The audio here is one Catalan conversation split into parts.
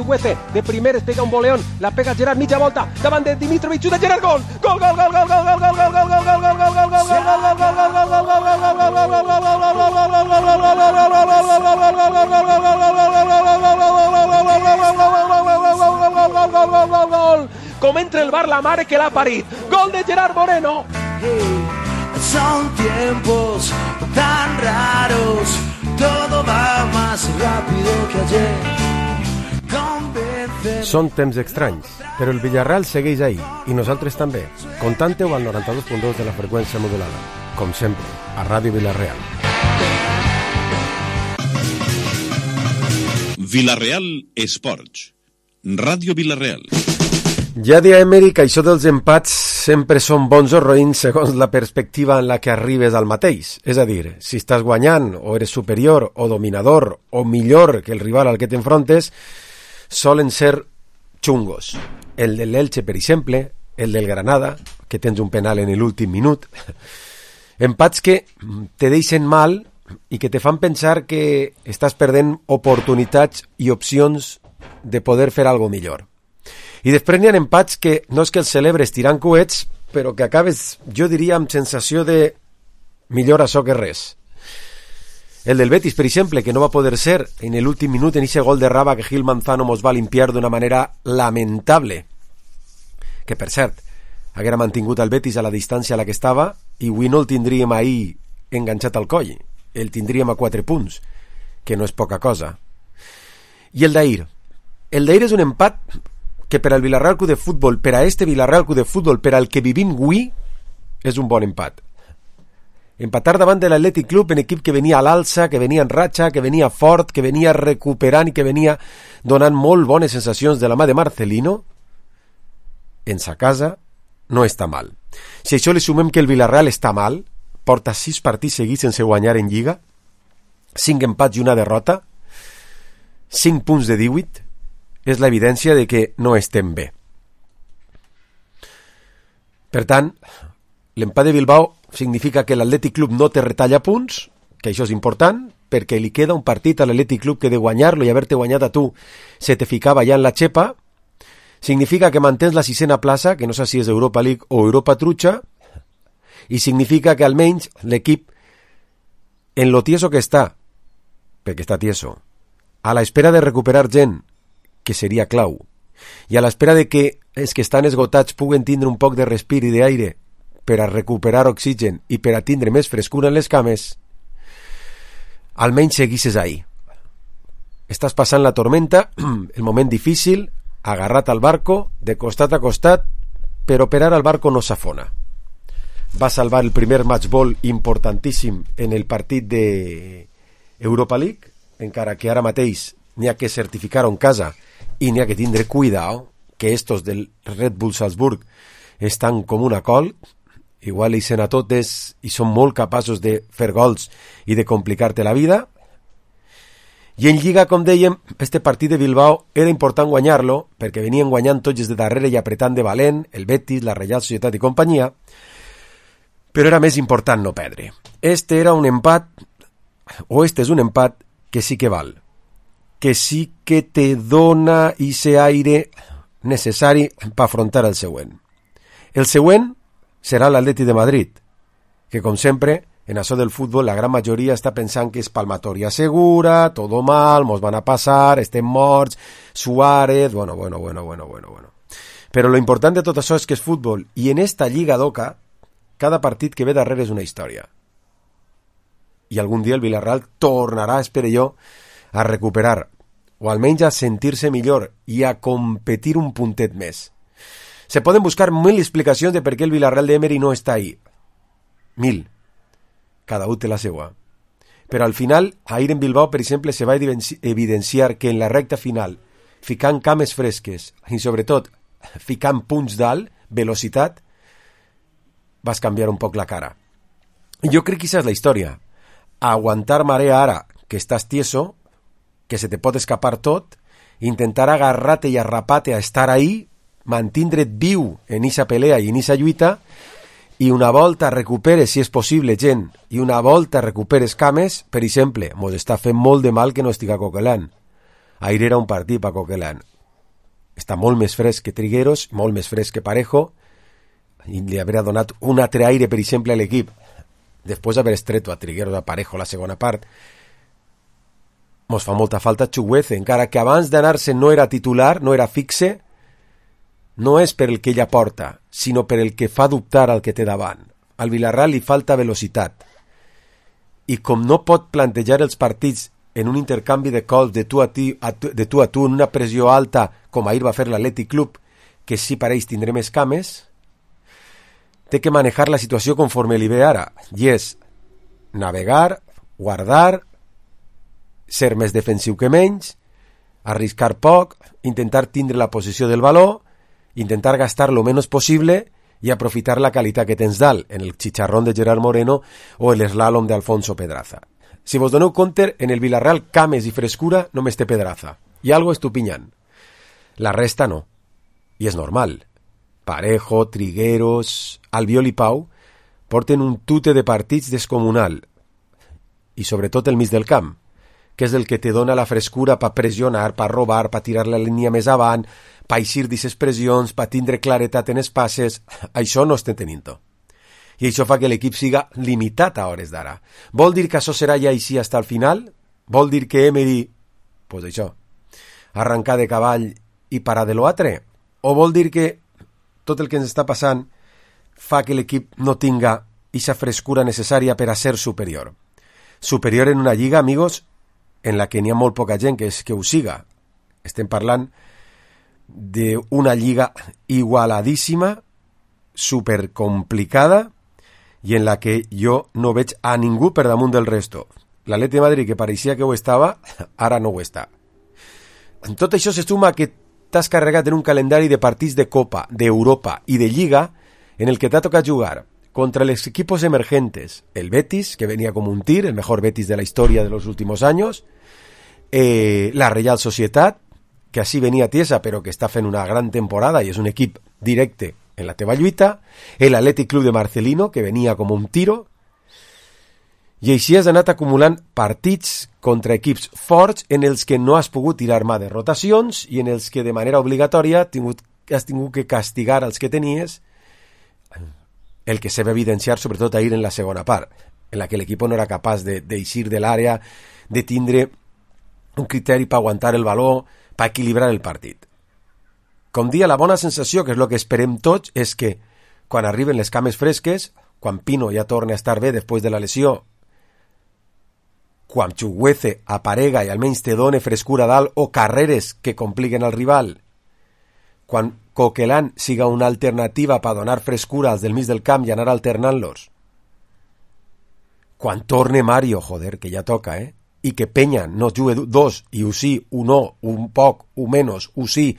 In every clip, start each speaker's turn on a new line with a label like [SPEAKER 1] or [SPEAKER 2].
[SPEAKER 1] Chukwueze, de primer es pega un boleón, la pega Gerard, mitja volta, davant de Dimitrovic, xuta Gerard, gol! Gol, gol, gol, gol, gol, gol, gol, gol, gol, gol, gol, gol, gol, gol, gol! Com entra el bar la mare que l'ha parit. Gol de Gerard Moreno.
[SPEAKER 2] Son tiempos tan raros, todo va más rápido que ayer.
[SPEAKER 3] Són temps estranys, però el Villarreal segueix ahí, i nosaltres també. Contante-ho al 92.2 de la freqüència modulada. Com sempre, a Ràdio Villarreal.
[SPEAKER 4] Villarreal Esports. Ràdio Villarreal.
[SPEAKER 3] Ja deia Emery que això dels empats sempre són bons o roïns segons la perspectiva en la que arribes al mateix. És a dir, si estàs guanyant, o eres superior, o dominador, o millor que el rival al que t'enfrontes, solen ser xungos. El de l'Elche, per exemple, el del Granada, que tens un penal en l'últim minut. Empats que te deixen mal i que te fan pensar que estàs perdent oportunitats i opcions de poder fer alguna millor. I després n'hi ha empats que no és que els celebres tirant coets, però que acabes, jo diria, amb sensació de millor això que res. El del Betis, per exemple, que no va poder ser en l'últim minut en ese gol de Raba que Gil Manzano mos va limpiar d'una manera lamentable. Que, per cert, haguera mantingut el Betis a la distància a la que estava i avui no el tindríem ahir enganxat al coll. El tindríem a 4 punts, que no és poca cosa. I el d'ahir. El d'ahir és un empat que per al Villarreal Club de Futbol, per a este Villarreal Club de Futbol, per al que vivim avui, és un bon empat. Empatar davant de l'Atlètic Club, en equip que venia a l'alça, que venia en ratxa, que venia fort, que venia recuperant i que venia donant molt bones sensacions de la mà de Marcelino, en sa casa no està mal. Si això li sumem que el Villarreal està mal, porta 6 partits seguits sense guanyar en Lliga, 5 empats i una derrota, 5 punts de 18, és l'evidència de que no estem bé. Per tant, l'empat de Bilbao significa que l'Atlètic Club no te retalla punts, que això és important, perquè li queda un partit a l'Atlètic Club que de guanyar-lo i haver-te guanyat a tu se te ficava ja en la xepa. Significa que mantens la 6a plaça, que no sé si és Europa League o Europa Trucha, i significa que almenys l'equip, en lo tieso que està, perquè està tieso, a l'espera de recuperar gent, que seria clau, i a l'espera de que els que estan esgotats puguen tindre un poc de respir i d'aire per a recuperar oxigen i per a tindre més frescura en les cames, almenys seguisses ahí. Estàs passant la tormenta, el moment difícil, agarrat al barco, de costat a costat, però per ara el barco no s'afona. Va salvar el primer match ball importantíssim en el partit de Europa League, encara que ara mateix n'hi ha que certificar-ho en casa i n'hi ha que tindre cuidado, que estos del Red Bull Salzburg estan com una col, igual hi sent a totes i són molt capaços de fer gols i de complicar-te la vida. I en Lliga, com dèiem, este partit de Bilbao era important guanyar-lo, perquè venien guanyant tots des de darrere i apretant de valent, el Betis, la Reial Societat i companyia, però era més important no perdre. Este era un empat, o este és un empat que sí que val, que sí que te dona ese aire necessari per afrontar el següent. El següent serà l'Atlètic de Madrid, que com sempre, en això del futbol, la gran majoria està pensant que és palmatoria segura, todo mal, mos van a passar, estem morts, Suárez, bueno. Però lo important de tot això és que és futbol, i en esta lliga d'Oca, cada partit que ve darrere és una història. I algun dia el Villarreal tornarà, espero jo, a recuperar, o almenys a sentir-se millor i a competir un puntet més. Se poden buscar 1000 explicacions de per què el Villarreal d'Emery no està ahí. 1000. Cada un té la seva. Però al final, ahir en Bilbao, per exemple, se va evidenciar que en la recta final, ficant cames fresques i sobretot ficant punts d'alt, velocitat, vas canviar un poc la cara. Jo crec que aquesta és la història. Aguantar marea ara, que estàs tieso, que se te pot escapar tot, intentar agarrar-te i arrapar-te a estar ahí, mantindre't viu en esa pelea i en esa lluita, i una volta recuperes, si és possible, gent, i una volta recuperes cames, per exemple, mos està fent molt de mal que no estiga Coquelin. Ahir era un partit per Coquelin. està molt més fresc que Trigueros, molt més fresc que Parejo, i li haurà donat un altre aire, per exemple, a l'equip, després d'haver estreto a Trigueros, a Parejo la segona part. Mos fa molta falta Chukwueze, encara que abans d'anar-se no era titular, no era fixe, no és per el que ella porta, sinó per el que fa dubtar al que té davant. Al Villarreal li falta velocitat. I com no pot plantejar els partits en un intercanvi de cols de tu a tu, en una pressió alta, com ahir va fer l'Athletic Club, que sí pareix tindré més cames, té que manejar la situació conforme li ve ara, i és navegar, guardar, ser més defensiu que menys, arriscar poc, intentar tindre la posició del valor, intentar gastar lo menos possible i aprofitar la qualitat que tens dalt, en el chicharrón de Gerard Moreno o el slalom de Alfonso Pedraza. Si vos doneu compte, en el Villarreal cames i frescura només té Pedraza, i algo estupinyant. La resta no, i és normal. Parejo, Trigueros, Albiol i Pau porten un tute de partits descomunal, i sobretot el mig del camp, que és el que te dona la frescura per pressionar, per robar, per tirar la línia més avant, per eixir d'aquestes pressions, per tindre claretat en els passes. Això no estem tenint-ho. I això fa que l'equip siga limitat a hores d'ara. Vol dir que això serà ja així fins al final? Vol dir que Emery, pues això, arrencar de cavall i parar de l'altre? O vol dir que tot el que ens està passant fa que l'equip no tinga aquesta frescura necessària per a ser superior? Superior en una lliga, amigos, en la que n'hi ha molt poca gent que ho siga. Estem parlant d'una lliga igualadíssima, supercomplicada, i en la que jo no veig a ningú per damunt del resto. L'Atleti de Madrid, que pareixia que ho estava, ara no ho està. Tot això se suma que t'has carregat en un calendari de partits de Copa, d'Europa i de Lliga, en el que t'ha tocat jugar contra los equipos emergentes, el Betis, que venía como un tir, el mejor Betis de la historia de los últimos años, la Real Societat, que así venía tiesa, pero que està fent una gran temporada y es un equip directe en la teva lluita, el Athletic Club de Marcelino, que venia com un tiro, i així has anat acumulant partits contra equips forts en els que no has pogut tirar mà de rotacions i en els que de manera obligatòria has tingut que castigar els que tenies, el que se va evidenciar sobretot ahir en la segona part, en la que l'equip no era capaç d'eixir de l'àrea, de tindre un criteri per aguantar el valor, per equilibrar el partit. Com dia, la bona sensació, que és el que esperem tots, és que quan arriben les cames fresques, quan Pino ja torna a estar bé després de la lesió, quan Chukwueze aparega i almenys te done frescura dalt o carreres que compliquen al rival, quan Coquelin siga una alternativa per donar frescura als del mig del camp i anar alternant-los, quan torne Mario, joder, que ja toca, i que Peña no jugue dos, i ho sí, un no, un poc, un menos, ho sí,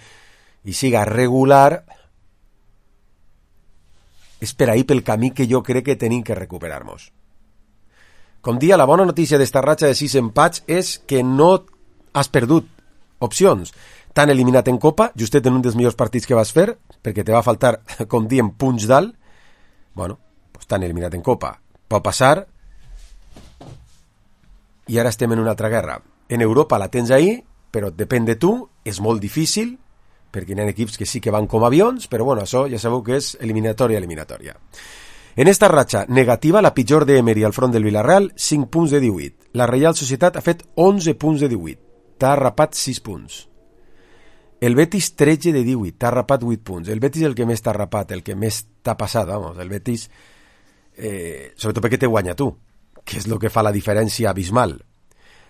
[SPEAKER 3] i siga regular, és per ahir pel camí que jo crec que tenim que recuperar-nos. Com dia, la bona notícia d'esta ratxa de 6 empats és que no has perdut opcions. T'han eliminat en Copa, justet en un dels millors partits que vas fer, perquè te va faltar, com diem, punts dalt. Bueno, pues t'han eliminat en Copa. Pot passar, i ara estem en una altra guerra. En Europa la tens ahí, però depèn de tu, és molt difícil, perquè hi ha equips que sí que van com avions, però bueno, això ja sabeu que és eliminatòria. En esta ratxa negativa, la pitjor d'Emery al front del Villarreal, 5 punts de 18. La Real Societat ha fet 11 punts de 18. T'ha rapat 6 punts. El Betis 13 de 18, t'ha rapat 8 punts. El Betis el que més t'ha rapat, el que més t'ha passat, vamos. El Betis, sobretot perquè te guanya tu, que és el que fa la diferència abismal.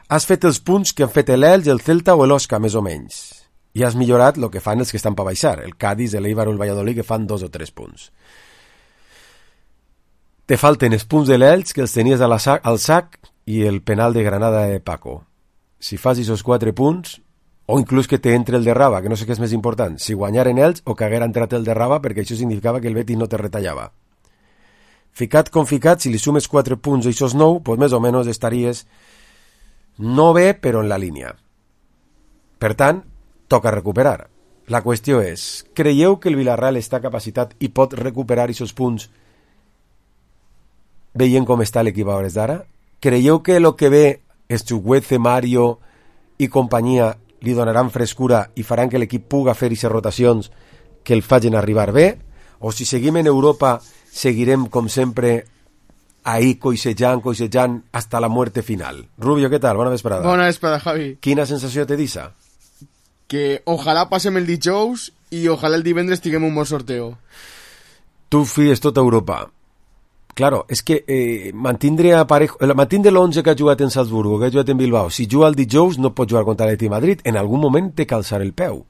[SPEAKER 3] Has fet els punts que han fet l'Elx, el Celta o l'Osca, més o menys. I has millorat el que fan els que estan per baixar, el Cádiz, l'Eibar o el Valladolid, que fan 2 o 3 punts. Te falten els punts de l'Elx, que els tenies al sac, i el penal de Granada de Paco. Si fas aquests 4 punts, o inclús que te entre el de Raba, que no sé què és més important, si guanyaren ells o que haguera entrat el de Raba, perquè això significava que el Betis no te retallava. Ficat com ficat, si li sumes 4 punts a aquests 9, pues més o menys estaries no bé, però en la línia. Per tant, toca recuperar. La qüestió és, creieu que el Villarreal està capacitat i pot recuperar aquests punts veient com està l'equip a hores d'ara? Creieu que el que ve és Chukwueze, Mario i companyia li donaran frescura i faran que l'equip puga fer aquestes rotacions que el facin arribar bé, o si seguim en Europa seguirem com sempre ahí coixejant hasta la muerte final. Rubio, ¿qué tal? Bona vesprada.
[SPEAKER 5] Bona vesprada, Javi.
[SPEAKER 3] Quina sensació te deixa?
[SPEAKER 5] Que ojalà passem el dijous i ojalà el divendres tinguem un bon sorteo.
[SPEAKER 3] Tu fies tota Europa. Claro, és que mantindre l'11 que ha jugat en Salzburgo, que ha jugat en Bilbao, si juga el dijous no pot jugar contra l'Atlètic Madrid, en algun moment té que alçar el peu.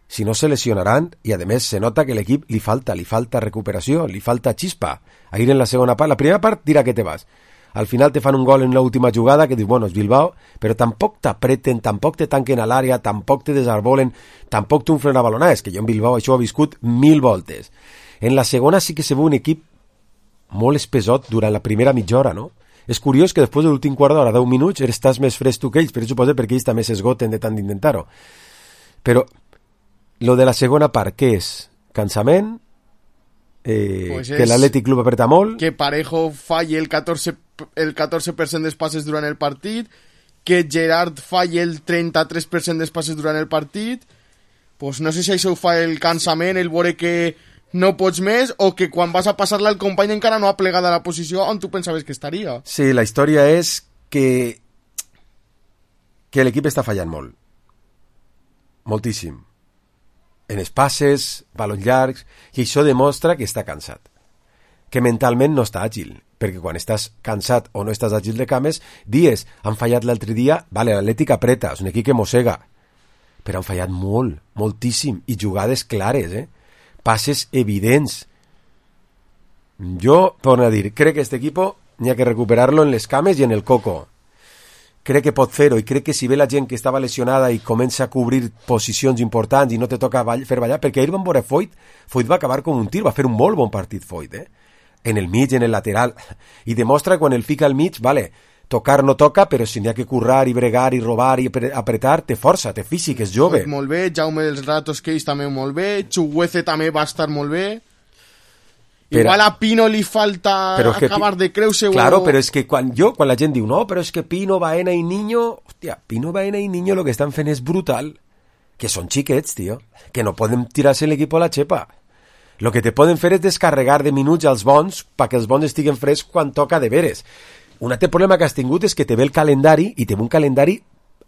[SPEAKER 3] Si no se lesionaran, i a més se nota que l'equip li falta recuperació, li falta xispa. Ahir en la segona part, la primera part dirà que te vas. Al final te fan un gol en l'última jugada que dius, bueno, és Bilbao, però tampoc t'apreten, tampoc te tanquen a l'àrea, tampoc te desarbolen, tampoc t'unflen a balonar. És que jo en Bilbao això ho he viscut 1000 voltes. En la segona sí que se veu un equip molt espesot durant la primera mitja hora, no? És curiós que després de l'últim quart d'hora, 10 minuts, estàs més fresc tu que ells, però suposo perquè ells també s'esgoten de tant d'intentar-ho. Però lo de la segona part, què és? Cansament?
[SPEAKER 5] Pues
[SPEAKER 3] que l'Atlètic Club apreta molt?
[SPEAKER 5] Que Parejo falle el 14% dels passes durant el partit, que Gerard falle el 33% dels passes durant el partit. Pues no sé si això ho fa el cansament, el veure que no pots més, o que quan vas a passar-la el company encara no ha plegat a la posició on tu pensaves que estaria.
[SPEAKER 3] Sí, la història és que l'equip està fallant molt. Moltíssim. En els passes, balons llargs, i això demostra que està cansat. Que mentalment no està àgil, perquè quan estàs cansat o no estàs àgil de cames, dies, han fallat l'altre dia, vale, l'Atlètic apreta, és un equip que mossega, però han fallat molt, moltíssim, i jugades clares, passes evidents. Jo, torno a dir, crec que este equipo n'hi ha que recuperar-lo en les cames i en el coco. Crec que pot fer-ho, i crec que si ve la gent que estava lesionada i comença a cobrir posicions importants i no te toca fer ballar, perquè ahir van veure Foyt va acabar com un tir, va fer un molt bon partit Foyt, en el mig, en el lateral, i demostra quan el fica al mig, vale, tocar no toca, però si n'hi ha que currar i bregar i robar i apretar, té força, té físic, és jove.
[SPEAKER 5] Pues molt bé, Jaume dels Ratos Keis també molt bé, Chuguece també va estar molt bé. Però, igual a Pino li falta acabar de creure-se.
[SPEAKER 3] Claro, però és que quan la gent diu no, però és que Pino, Baena i Niño, hòstia, Pino, Baena i Niño lo que estan fent és brutal, que són xiquets, tio, que no poden tirar-se l'equip a la xepa. Lo que te poden fer és descarregar de minuts als bons perquè els bons estiguen frescs quan toca de veres. Un altre problema que has tingut és que te ve el calendari i te ve un calendari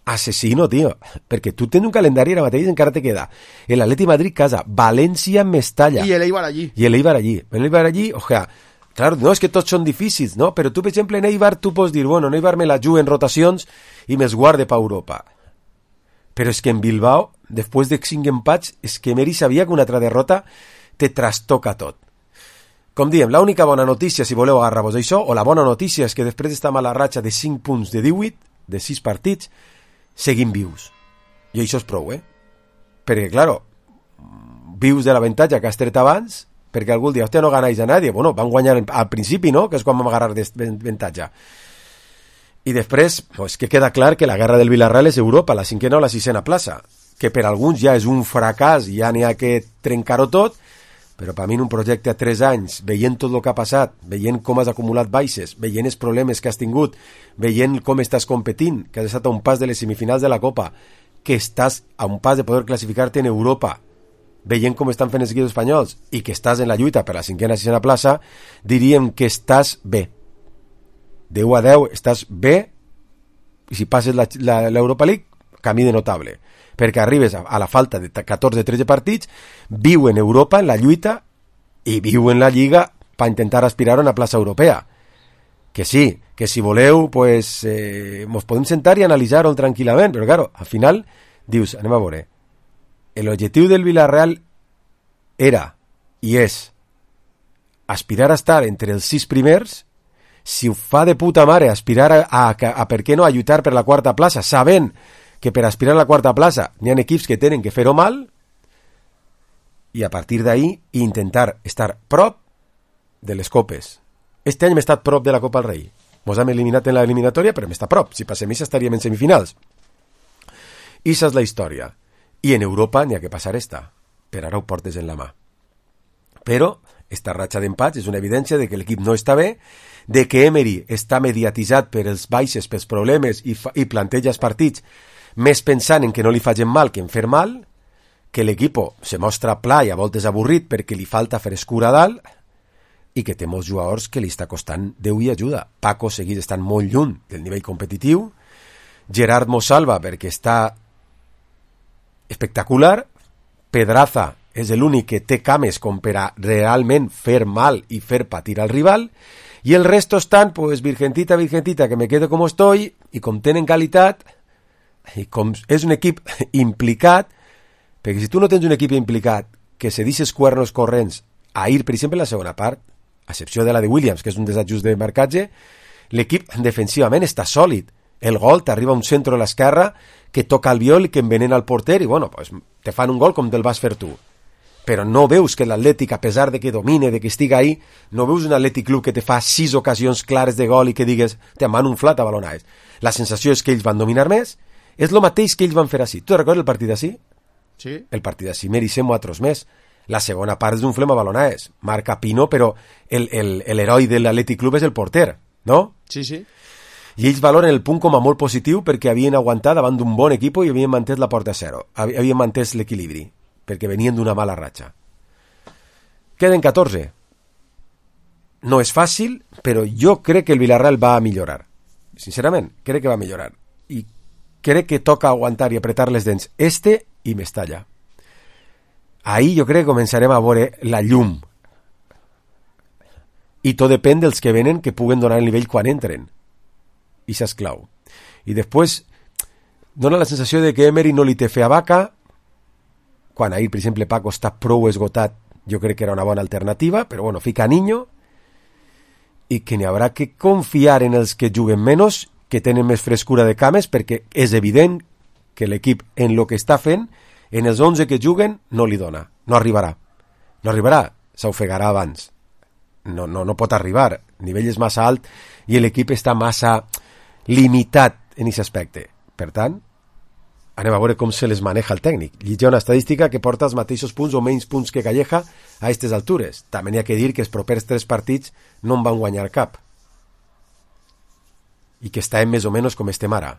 [SPEAKER 3] assassino, tio, perquè tu tens un calendari ara mateix encara te queda l'Atlètic Madrid casa, València Mestalla
[SPEAKER 5] i l'Eibar allí.
[SPEAKER 3] L'Eibar allí, o sea, claro, no és que tots són difícils, no? Però tu, per exemple, en Eibar tu pots dir, bueno, en Eibar me la jugo en rotacions i me'ls guarde pa Europa. Però és que en Bilbao, després de 5 empats, és que Meri sabia que una altra derrota te trastoca tot. Com diem, l'única bona notícia, si voleu agarrar-vos això, o la bona notícia és que després d'esta mala ratxa de 5 punts de 18, de 6 partits, seguim vius. I això és prou, Perquè, claro, vius de l'avantatge que has tret abans, perquè algú dia, hòstia, no ganáis a nadie. Bueno, van guanyar al principi, no?, que és quan vam agarrar d'avantatge. I després, pues, que queda clar que la guerra del Villarreal és Europa, la 5ª o la 6ª plaça, que per alguns ja és un fracàs i ja n'hi ha que trencar-ho tot, però per mi en un projecte a 3 anys, veient tot el que ha passat, veient com has acumulat baixes, veient els problemes que has tingut, veient com estàs competint, que has estat a un pas de les semifinals de la Copa, que estàs a un pas de poder classificar-te en Europa, veient com estan fent els equips espanyols i que estàs en la lluita per la 5ª i 6ª plaça, diríem que estàs bé. De 1 a 10 estàs bé, i si passes l'Europa League, camí de notable. Perquè arribes a la falta de 14-13 partits, viu en Europa, en la lluita, i viu en la Lliga per intentar aspirar a una plaça europea. Que sí, que si voleu, pues, mos podem sentar i analitzar-ho tranquil·lament, però claro, al final, dius, anem a veure, l'objectiu del Villarreal era, i és, aspirar a estar entre els 6 primers, si ho fa de puta mare, aspirar a per què no, a lluitar per la 4ª plaça, sabent que per aspirar a la 4ª plaça n'hi ha equips que tenen que fer-ho mal, i a partir d'ahí intentar estar prop de les copes. Este any hem estat prop de la Copa del Rei. Mos hem eliminat en l'eliminatòria, però hem estat prop. Si passem això estaríem en semifinals. I això és la història. I en Europa n'hi ha que passar esta. Per ara ho portes en la mà. Però esta ratxa d'empats és una evidència de que l'equip no està bé, de que Emery està mediatitzat per els baixes, pels problemes, i planteja els partits més pensant en que no li facin mal que en fer mal, que l'equip se mostra pla i a voltes avorrit perquè li falta frescura a dalt i que té molts jugadors que li està costant Déu i ajuda. Paco segueix estant molt lluny del nivell competitiu, Gerard Mosalva perquè està espectacular, Pedraza és l'únic que té cames com per a realment fer mal i fer patir al rival, i el resto estan, pues, virgentita, que me quedo com estoy, i com tenen qualitat, i com és un equip implicat, perquè si tu no tens un equip implicat que se deixes cuernos corrents a ir, per exemple, en la segona part, a excepció de la de Williams, que és un desajust de marcatge, l'equip defensivament està sòlid. El gol t'arriba a un centre a l'esquerra que toca el viol i que envenena el porter i, bueno, pues, te fan un gol com te'l vas fer tu. Però no veus que l'Atlètic, a pesar de que domine, de que estiga ahí, no veus un Atlètic Club que te fa 6 ocasions clares de gol i que digues, te m'han unflat a balonades. La sensació és que ells van dominar més, és el mateix que ells van fer així. Tu recordes el partit d'ací?
[SPEAKER 5] Sí.
[SPEAKER 3] El partit d'ací mereixem altres més. La segona part és d'un flema a balonades. Marca Pino, però l'heroi de l'Atlètic Club és el porter, no?
[SPEAKER 5] Sí, sí.
[SPEAKER 3] I ells valoren el punt com a molt positiu perquè havien aguantat davant d'un bon equip i havien mantès la porta a 0. Havien mantès l'equilibri, perquè venien d'una mala ratxa. Queden 14. No és fàcil, però jo crec que el Villarreal va a millorar. Sincerament, crec que va a millorar. I crec que toca aguantar i apretar les dents i Mestalla. Ahí jo crec que començarem a veure la llum. I tot depèn dels que venen que puguen donar el nivell quan entren. I això és clau. I després dona la sensació de que Emery no li té fe a Vaca. Quan ahir, per exemple, Paco està prou esgotat, jo crec que era una bona alternativa, però bueno, fica Niño, i que n'hi haurà que confiar en els que juguen menys, que tenen més frescura de cames, perquè és evident que l'equip, en lo que està fent, en els 11 que juguen, no li dona. No arribarà. No arribarà. S'ofegarà abans. No pot arribar. El nivell és massa alt i l'equip està massa limitat en aquest aspecte. Per tant, anem a veure com se les maneja el tècnic. Hi ha una estadística que porta els mateixos punts o menys punts que Calleja a aquestes altures. També n'hi ha que dir que els propers 3 partits no en van guanyar cap. I que estem més o menys com estem ara.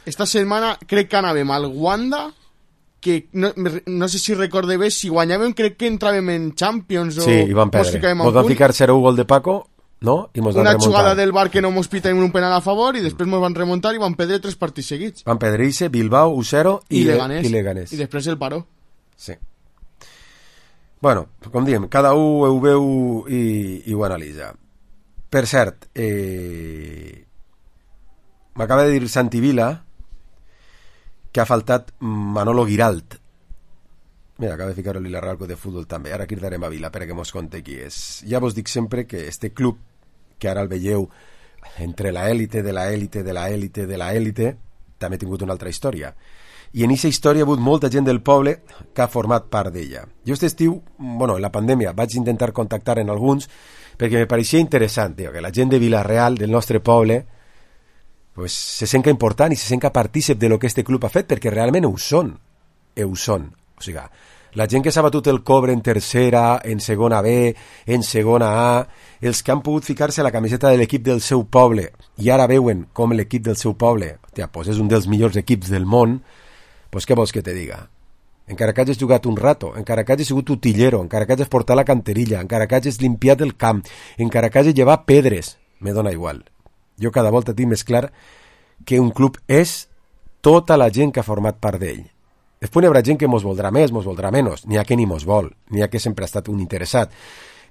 [SPEAKER 5] Esta setmana crec que anàvem al Wanda, que no sé si recorde bé, si guanyàvem crec que entràvem en Champions o...
[SPEAKER 3] Sí, i van perdre. Mos van ficar 0-1 gol de Paco, no? I mos van remuntar.
[SPEAKER 5] Una jugada del Bar que no mos piten un penal a favor i després mos van remuntar i van perdre 3 partits seguits.
[SPEAKER 3] Van perdre-se Bilbao, 1-0 i Leganés.
[SPEAKER 5] I després el paró.
[SPEAKER 3] Sí. Bueno, com diem, cada un ho veu i ho analitza. Per cert, m'acaba de dir Santi Vila que ha faltat Manolo Giralt. Mira, acaba de ficar el Villarreal de futbol també. Ara cridarem a Vila perquè mos conte qui és. Ja vos dic sempre que este club, que ara el veieu entre la élite de la élite de la élite de la élite, també ha tingut una altra història. I en aquesta història ha hagut molta gent del poble que ha format part d'ella. Jo aquest estiu, bueno, en la pandèmia, vaig intentar contactar en alguns perquè me pareixia interessant, que la gent de Villarreal, del nostre poble, pues, se senta important i se senta partícip de lo que este club ha fet, perquè realment ho són. O sigui, la gent que s'ha batut el cobre en tercera, en segona B, en segona A, els que han pogut ficar-se la camiseta de l'equip del seu poble i ara veuen com l'equip del seu poble, pues és un dels millors equips del món, pues què vols que te diga? Encara que hagis jugat un rato, encara que hagis sigut utillero, encara que hagis portat la canterilla, encara que hagis limpiat el camp, encara que hagis llevat pedres, me dona igual. Jo cada volta tinc més clar que un club és tota la gent que ha format part d'ell. Després hi haurà gent que mos voldrà més, mos voldrà menys, n'hi ha que ni mos vol, n'hi ha que sempre ha estat un interessat,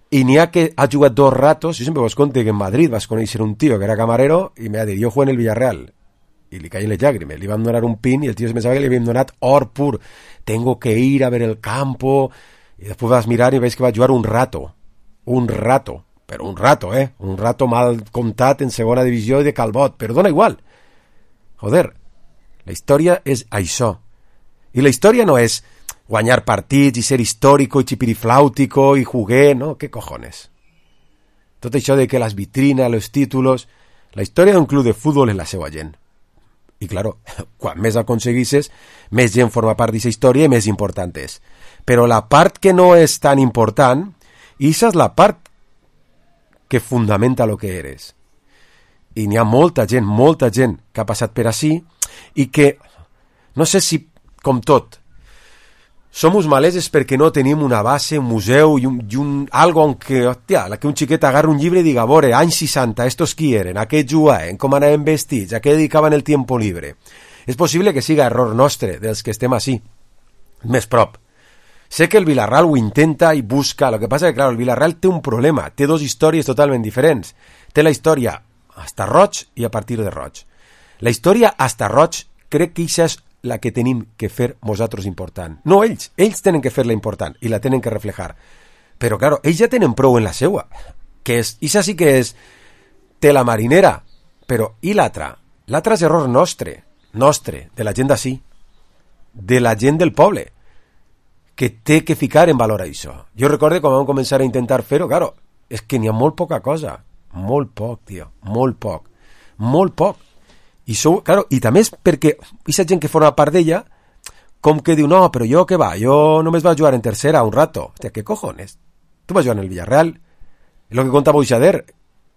[SPEAKER 3] i n'hi ha que ha jugat 2 ratos. Jo sempre vos conto que en Madrid vas conèixer un tio que era camarero i me va dir, jo jugué en el Villarreal, i li caien les llàgrimes, li van donar un pin i el tio es pensava que li havien donat or pur, tengo que ir a ver el campo, i després vas mirar i veus que va jugar un rato, però un rato mal comptat en segona divisió i de Calbot, però dona igual. Joder, la història és això. I la història no és guanyar partits i ser històrico i chipirifláutico i juguer, no? ¿Qué cojones? Tot això de que les vitrinas, los títulos... La història d'un club de futbol és la seva gent. I, claro, quan més aconseguisses, més gent forma part d'aquesta història i més important és. Però la part que no és tan important, i aquesta és la part que fundamenta lo que eres. I n'hi ha molta gent que ha passat per ací i que, no sé si, com tot, som uns maleses perquè no tenim una base, un museu i algo en què, hòstia, que un xiquet agarra un llibre i diga, veure, anys 60, estos qui eren, a què jugaven, com anaven vestits, a què dedicaven el tiempo libre. És possible que siga error nostre, dels que estem així, més prop. Sé que el Villarreal ho intenta i busca, el que passa que, clar, el Villarreal té un problema, té dos històries totalment diferents. Té la història hasta Roig i a partir de Roig. La història hasta Roig crec que això és la que tenim que fer nosaltres important. No ells tenen que fer-la important i la tenen que reflejar. Però, claro, ells ja tenen prou en la seua, que és, això sí que és tela marinera, però i l'altra? L'altre és error nostre, de la gent d'ací, de la gent del poble, que té que ficar en valor això. Jo recordo quan vam començar a intentar fer-ho, claro, és que n'hi ha molt poca cosa, molt poc, tio, molt poc. I, claro, i també és perquè aquesta gent que forma part d'ella, com que diu, no, però jo què va, jo només vaig jugar en tercera un rato. Hòstia, què cojones? Tu vas jugar en el Villarreal. És el que contava Boixader,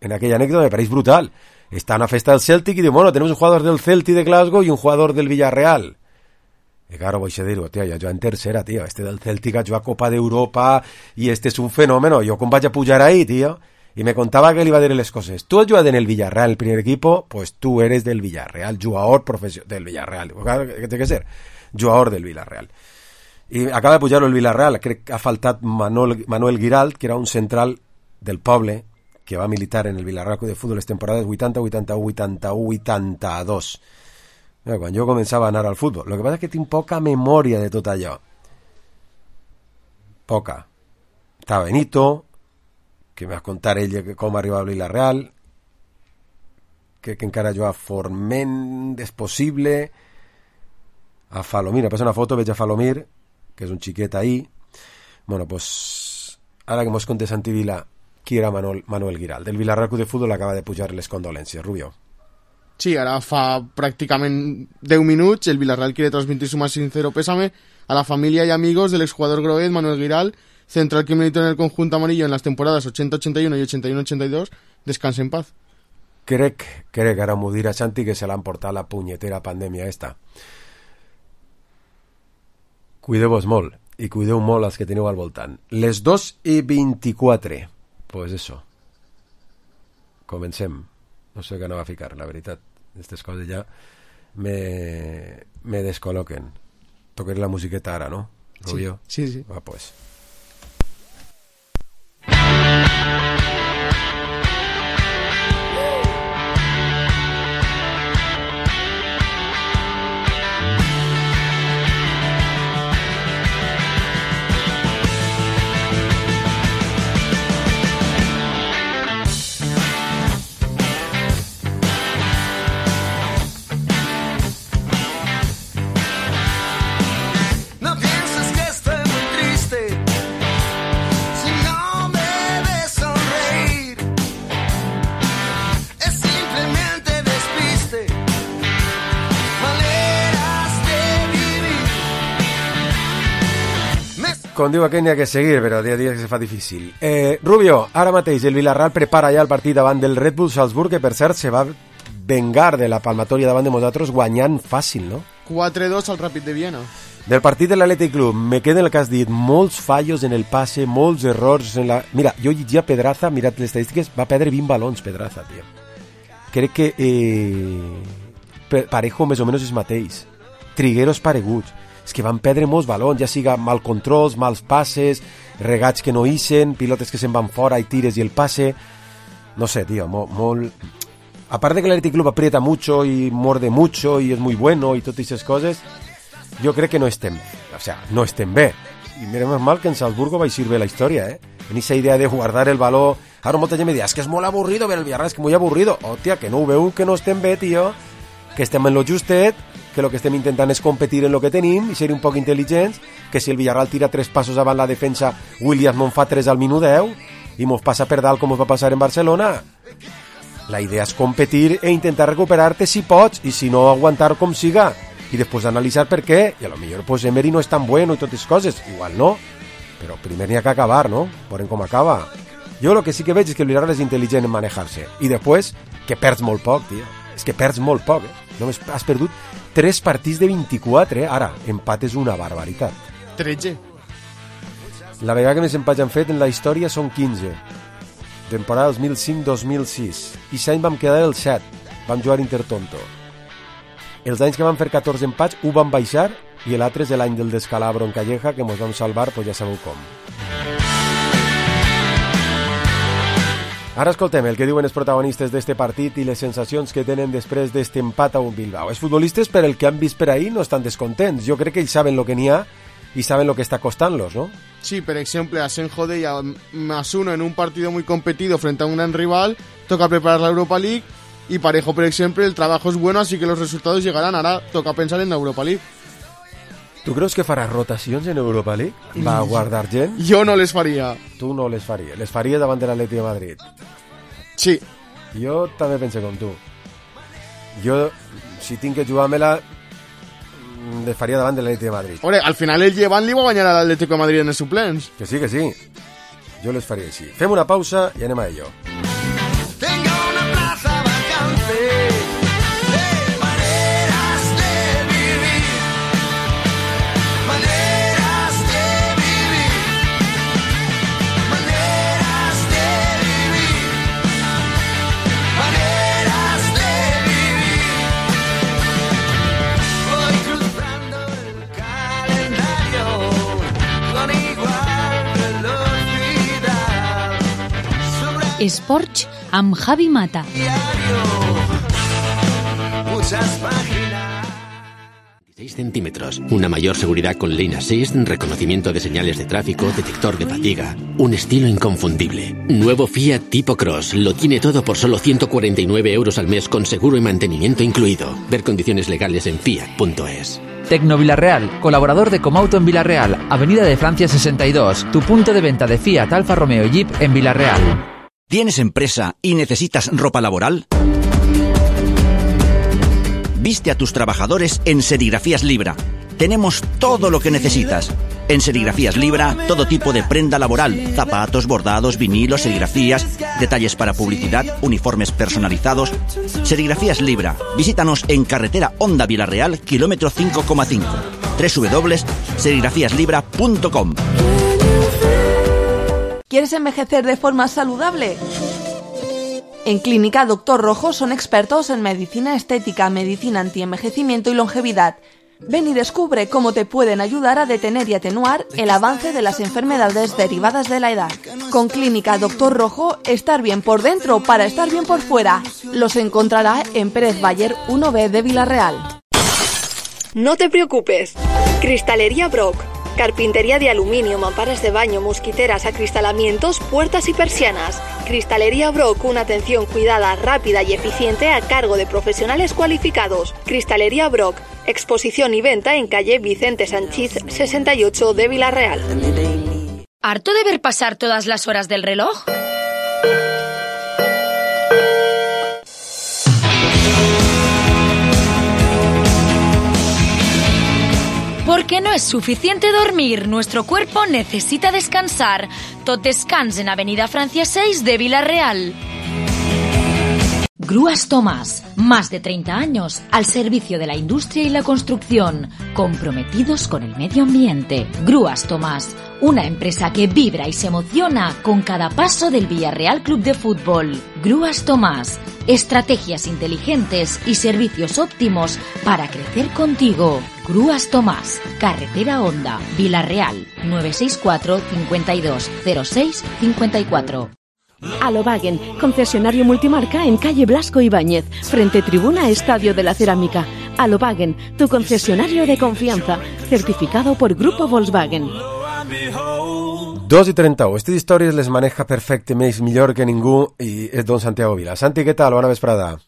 [SPEAKER 3] en aquella anècdota, me pareix brutal. Está en una festa del Celtic y dice, bueno, tenemos un jugador del Celtic de Glasgow y un jugador del Villarreal. Y claro, voy a decir, tío, ya en tercera, tío, este del Celtic ha jugado Copa de Europa y este es un fenómeno, yo com vaig a pujar ahí, tío. Y me contaba que él iba a decir las cosas. Tú has jugado en el Villarreal, el primer equipo, pues tú eres del Villarreal, jugador profesional del Villarreal. Claro, que tiene que ser, jugador del Villarreal. Y acaba de pujar-lo el Villarreal, crec que ha faltat Manuel Giralt, que era un central del poble, que va militar en el Villarreal de Futbol les temporades 80, 81, 81, 82. Mira, quan jo començava a anar al futbol. El que passa és que tinc poca memòria de tot allò. Poca. Estava Benito, que m'ha contat ell com arribava al Villarreal, que encara jugava Forment, és possible, a Falomir, passa una foto, veig a Falomir, que és un xiquet ahí. Bueno, pues, ara que mos conté Santi Vila, qui era Manuel Giralt. Del Villarreal Club de Futbol acaba de pujar les condolències. Rubio.
[SPEAKER 5] Sí, ara fa pràcticament 10 minuts el Villarreal quiere transmitir su más sincero pésame a la familia y amigos del exjugador groguet Manuel Giralt, central que militó en el conjunto amarillo en las temporadas 80-81 y 81-82. Descanse en paz.
[SPEAKER 3] Crec, ara m'ho dirà Santi, que se l'han portat la punyetera pandèmia esta. Cuideu-vos molt, i cuideu molt els que teniu al voltant. Les 2:24. Pues eso. Comencem. No sé què anava a ficar, la veritat. Aquestes coses ja me descol·loquen. Toquem la musiqueta ara, no? Rubio?
[SPEAKER 5] Sí.
[SPEAKER 3] Va, pues. Com diu aquell, n'hi ha que seguir, però dia a dia que se fa difícil. Rubio, ara mateix el Villarreal prepara ja el partit davant del Red Bull Salzburg, que per cert se va vengar de la palmatòria davant de nosaltres guanyant fàcil, no?
[SPEAKER 5] 4-2 al Ràpid de Viena.
[SPEAKER 3] Del partit de l'Atlètic Club, me queda el que has dit, molts fallos en el passe, molts errors en la... Mira, jo llegia Pedraza, mirat les estadístiques, va perdre 20 balons, Pedraza, tio. Crec que Parejo més o menys és mateix. Trigueros pareguts. És que van perdre molts balons, ja siga mal controls, mals passes, regats que no ixen, pilotes que se'n van fora i tires i el passe... No sé, tio, molt... Aparte que l'Atlètic Club aprieta mucho y morde mucho y es muy bueno y totes esas coses, jo crec que no estem, o sea, no estem bé. I mirem mal que en Salzburgo va eixir bé la història, en esa idea de guardar el valor. Ara molta gent me dirà, és que és molt avorrido ver el Villarreal, és que molt avorrido. Hòstia, que no ho veu, que no estem bé, tio, que estem en lo justet, que el que estem intentant és competir en lo que tenim i ser un poc intel·ligents, que si el Villarreal tira 3 passos avant la defensa, Williams no en fa 3 al minut 10 i mos passa per dalt com us va passar en Barcelona. La idea és competir e intentar recuperar-te si pots i si no aguantar com siga i després analitzar per què, i a lo millor pues Emery no és tan bueno i totes coses, igual no, però primer n'hi ha que acabar, no? Veurem com acaba. Jo el que sí que veig és que el Villarreal és intel·ligent en manejar-se i després que perds molt poc, tio. És que perds molt poc, Només has perdut 3 partits de 24, Ara, empat és una barbaritat.
[SPEAKER 5] 13.
[SPEAKER 3] La vegada que més empats han fet en la història són 15. Temporada 2005-2006. I l'any vam quedar el 7. Vam jugar Intertonto. Els anys que van fer 14 empats, ho van baixar, i l'altre és l'any del descalabro en Calleja, que mos vam salvar, pues ja sabeu com. Ara escoltem el que diuen els protagonistes d'este partit i les sensacions que tenen després d'este empat a un Bilbao. Els futbolistes, per el que han vist per ahí, no estan descontents. Jo crec que ells saben lo que n'hi ha y saben lo que está costándolos, ¿no?
[SPEAKER 5] Sí, por ejemplo, a Senjo de +1 en un partido muy competido frente a un gran rival, toca preparar la Europa League, y Parejo, por ejemplo, el trabajo es bueno, así que los resultados llegarán. Ahora toca pensar en la Europa League.
[SPEAKER 3] ¿Tú creus que farà rotacions en Europa League? Va a guardar gent?
[SPEAKER 5] Jo no les faria.
[SPEAKER 3] Tu no les faries. Les faries davant de l'Atleti de Madrid?
[SPEAKER 5] Sí.
[SPEAKER 3] Jo també penso com tu. Jo, si tinc que jugar-me-la, les faria davant de l'Atleti de Madrid.
[SPEAKER 5] Ore, al final el Llevant li va guanyar a l'Atlético de Madrid en els suplents.
[SPEAKER 3] Que sí, que sí. Jo les faria així. Fem una pausa i anem a ello.
[SPEAKER 2] Tengo una plaza vacante de maneras de vivir, maneras de vivir, maneras de vivir, maneras de vivir. Voy cruzando el calendario con igual velocidad.
[SPEAKER 6] Esports amb Javi Mata.
[SPEAKER 2] Muchas páginas.
[SPEAKER 7] 16 centímetros, una mayor seguridad con Lane Assist, reconocimiento de señales de tráfico, detector de fatiga, un estilo inconfundible. Nuevo Fiat Tipo Cross, lo tiene todo por solo 149 euros al mes con seguro y mantenimiento incluido. Ver condiciones legales en fiat.es.
[SPEAKER 8] Tecno Villarreal, colaborador de Comauto en Villarreal, Avenida de Francia 62, tu punto de venta de Fiat, Alfa Romeo y Jeep en Villarreal.
[SPEAKER 9] ¿Tienes empresa y necesitas ropa laboral? Viste a tus trabajadores en Serigrafías Libra. Tenemos todo lo que necesitas. En Serigrafías Libra, todo tipo de prenda laboral, zapatos, bordados, vinilos, serigrafías, detalles para publicidad, uniformes personalizados. Serigrafías Libra. Visítanos en carretera Honda Villarreal, kilómetro 5,5. www.serigrafíaslibra.com.
[SPEAKER 10] ¿Quieres envejecer de forma saludable? En Clínica Doctor Rojo son expertos en medicina estética, medicina antienvejecimiento y longevidad. Ven y descubre cómo te pueden ayudar a detener y atenuar el avance de las enfermedades derivadas de la edad. Con Clínica Doctor Rojo, estar bien por dentro para estar bien por fuera. Los encontrará en Pérez Bayer 1B de Villarreal.
[SPEAKER 11] No te preocupes. Cristalería Brock. Carpintería de aluminio, mamparas de baño, mosquiteras, acristalamientos, puertas y persianas. Cristalería Brock, una atención cuidada, rápida y eficiente a cargo de profesionales cualificados. Cristalería Brock, exposición y venta en calle Vicente Sanchiz 68 de Villarreal.
[SPEAKER 6] ¿Harto de ver pasar todas las horas del reloj? Porque no es suficiente dormir, nuestro cuerpo necesita descansar. Tot Descans en Avenida Francia 6 de Villarreal. Grúas Tomás, más de 30 años al servicio de la industria y la construcción, comprometidos con el medio ambiente. Grúas Tomás, una empresa que vibra y se emociona con cada paso del Villarreal Club de Fútbol. Grúas Tomás, estrategias inteligentes y servicios óptimos para crecer contigo. Grúas Tomás, carretera Honda, Villarreal, 964 52 06 54.
[SPEAKER 12] Alobagen, concesionario multimarca en calle Blasco Ibáñez, frente tribuna Estadio de la Cerámica. Alobagen, tu concesionario de confianza, certificado por Grupo Volkswagen.
[SPEAKER 3] 2:31. Estas històries les maneja perfecte, més millor que ningú, i és don Santiago Vila. Santi, què tal? Bona vesprada.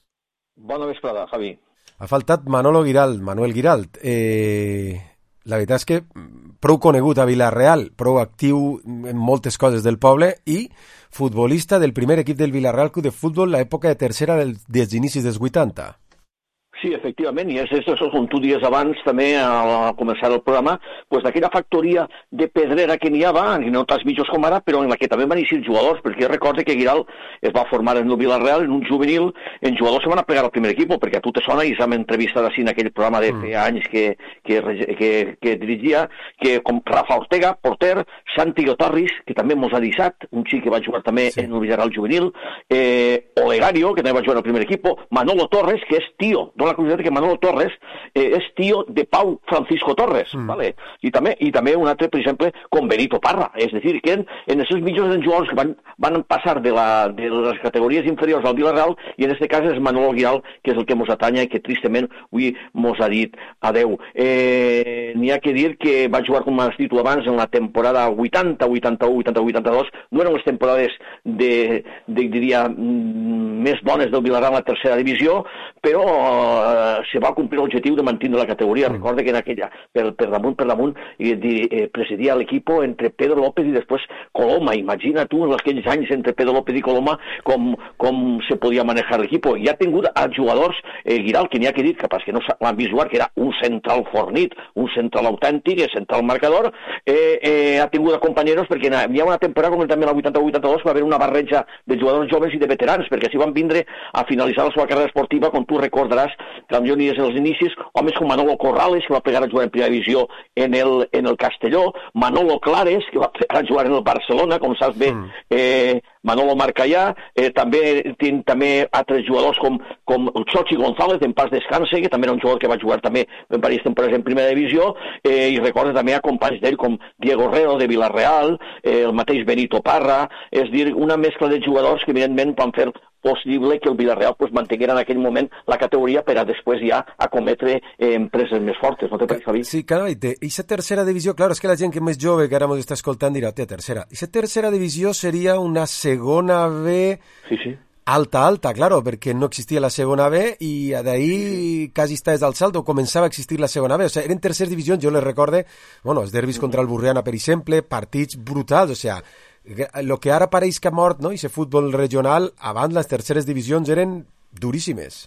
[SPEAKER 13] Bona vesprada, Javi.
[SPEAKER 3] Ha faltat Manuel Giralt. La veritat és que prou conegut a Villarreal, prou actiu en moltes coses del poble i futbolista del primer equip del Villarreal Club de Futbol l'època de tercera dels inicis dels 80.
[SPEAKER 13] Sí, efectivament, i és això, com tu dies abans, també al començar el programa, pues, d'aquella factoria de pedrera que n'hi havia, no tants mitjos com ara, però en la que també van eixir jugadors, perquè recorda que Guiral es va formar en el Villarreal, en un juvenil, en jugadors se van a plegar al primer equip, perquè a tu te sona, i s'hem entrevistat així en aquell programa de feia anys que dirigia, que com Rafa Ortega, porter, Santi Otarris, que també mos ha deixat, un xic que va jugar també en el Villarreal juvenil, Olegario, que també va jugar al primer equip, Manolo Torres, que és tio, la curiositat que Manolo Torres és tio de Pau Francisco Torres, ¿vale? I també un altre, per exemple, com Benito Parra, és a dir, que en els seus mitjos jugadors que van passar de les categories inferiors al Villarreal, i en aquest cas és Manolo Guiral, que és el que mos atanya i que tristament avui mos ha dit adeu. N'hi ha que dir que va jugar, com has dit tu abans, en la temporada 80, 81, 82, no eren les temporades diria, més bones del Villarreal a la tercera divisió, però se va complir l'objectiu de mantenir la categoria. Recorda que en aquella, per damunt, presidia l'equip entre Pedro López i després Coloma. Imagina tu, en aquells anys entre Pedro López i Coloma, com se podia manejar l'equip. I ha tingut a jugadors, Guiral, que n'hi ha que dir, capaz que no l'han vist jugar, que era un central fornit, un central autèntic, central marcador, ha tingut a companyeros, perquè hi ha una temporada, com també la 80-82, va haver una barreja de jugadors joves i de veterans, perquè s'hi van vindre a finalitzar la seva carrera esportiva, com tu recordaràs, que potser ni és els inicis, homes com Manolo Corrales, que va plegar a jugar en primera divisió en el Castelló, Manolo Clares, que va plegar a jugar en el Barcelona, com saps bé, Manolo Marcallà, també altres jugadors com Xochi González, en pas descanse, que també era un jugador que va jugar també en diverses temporades en primera divisió, i recorda també a companys d'ell com Diego Reo de Villarreal, el mateix Benito Parra, és dir, una mescla de jugadors que evidentment van fer possible que el Villarreal mantinguera en aquell moment la categoria per a després ja acometre empreses més fortes, no te pareix, Javi?
[SPEAKER 3] Sí, carai, i la tercera divisió, clar, és que la gent que és més jove que ara ens està escoltant dirà, tercera. I la tercera divisió seria una segona B alta, claro, perquè no existia la segona B i d'ahí quasi està des del salto, començava a existir la segona B, o sigui, eren terceres divisions, jo les recorde, els derbis contra el Burriana, per exemple, partits brutals, o sigui, el que ara pareix que ha mort, no?, i ese futbol regional, abans les terceres divisions eren duríssimes.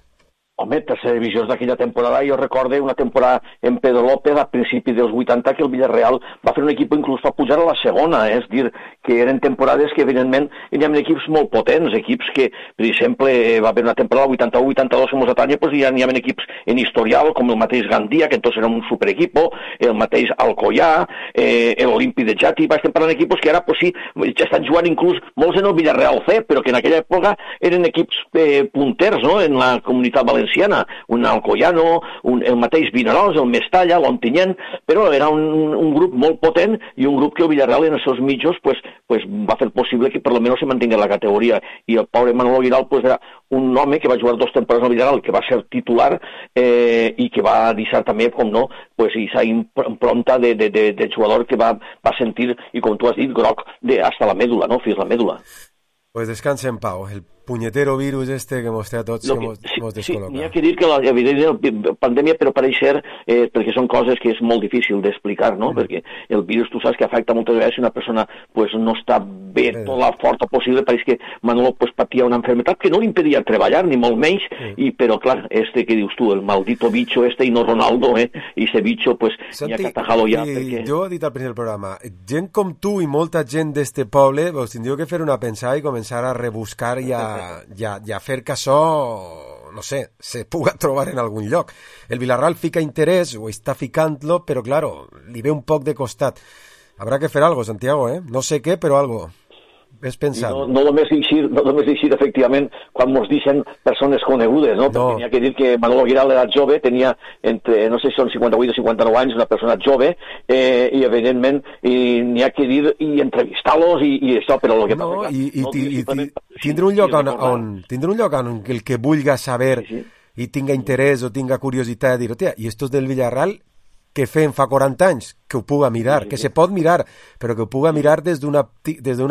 [SPEAKER 13] Home, tercera divisió d'aquella temporada, jo recorde una temporada en Pedro López a principi dels 80 que el Villarreal va fer un equip inclús per pujar a la segona, és dir, que eren temporades que evidentment hi havia equips molt potents, equips que, per exemple, va haver una temporada 81-82 en Mosatanya, doncs hi havia equips en historial, com el mateix Gandia, que entonces era un superequipo, el mateix Alcoyà, l'Olímpic de Jati, estem parlant d'equips que ara, pues sí, ja estan jugant inclús molts en el Villarreal C, però que en aquella època eren equips punters, no?, en la comunitat valenciana, un Alcoyano, el mateix Vinaròs, el Mestalla, l'Ontinyent, però era un grup molt potent i un grup que el Villarreal en els seus mitjos va fer possible que per lo menos se mantingués la categoria. I el pobre Manolo Guiral era un home que va jugar 2 temporades al Villarreal, que va ser titular i que va deixar també, com no, aquesta impronta de jugador que va sentir, i com tu has dit, groc hasta la mèdula, no?, fins la mèdula.
[SPEAKER 3] Pues descansa en pau, el punyetero virus que mos té a tots, que mos descol·loca.
[SPEAKER 13] Sí, n'hi ha que dir que la pandèmia, però pareix ser, perquè són coses que és molt difícil d'explicar, no?, perquè el virus, tu saps que afecta moltes vegades si una persona no està bé, tota la forta possible, pareix que Manolo patia una enfermedad que no li impedia treballar, ni molt menys, però clar, que dius tu, el maldito bicho i no Ronaldo, i ese bicho, n'hi ha que atajar-lo ja, perquè...
[SPEAKER 3] Jo he dit al principi del programa, gent com tu i molta gent d'este poble, vos tindríeu que fer una pensada i començar a rebuscar i a fer que això, no sé, se puga trobar en algun lloc. El Villarreal fica interès, o està ficant-lo, però, claro, li ve un poc de costat. Habrá que fer algo, Santiago, no sé què, però algo. Ves pensant.
[SPEAKER 13] No només eixir, efectivament, quan mos deixen persones conegudes, no? Perquè n'hi ha que dir que Manolo Guiral era jove, tenia entre, no sé si són 58 o 59 anys, una persona jove, i evidentment n'hi ha que dir i entrevistar-los i això, però el que passa...
[SPEAKER 3] I tindre un lloc on el que vulga saber i tinga interès o tinga curiositat de dir, hòstia, i estos del Villarreal que fem fa 40 anys, que ho puga mirar, que se pot mirar, però que ho puga mirar des d'una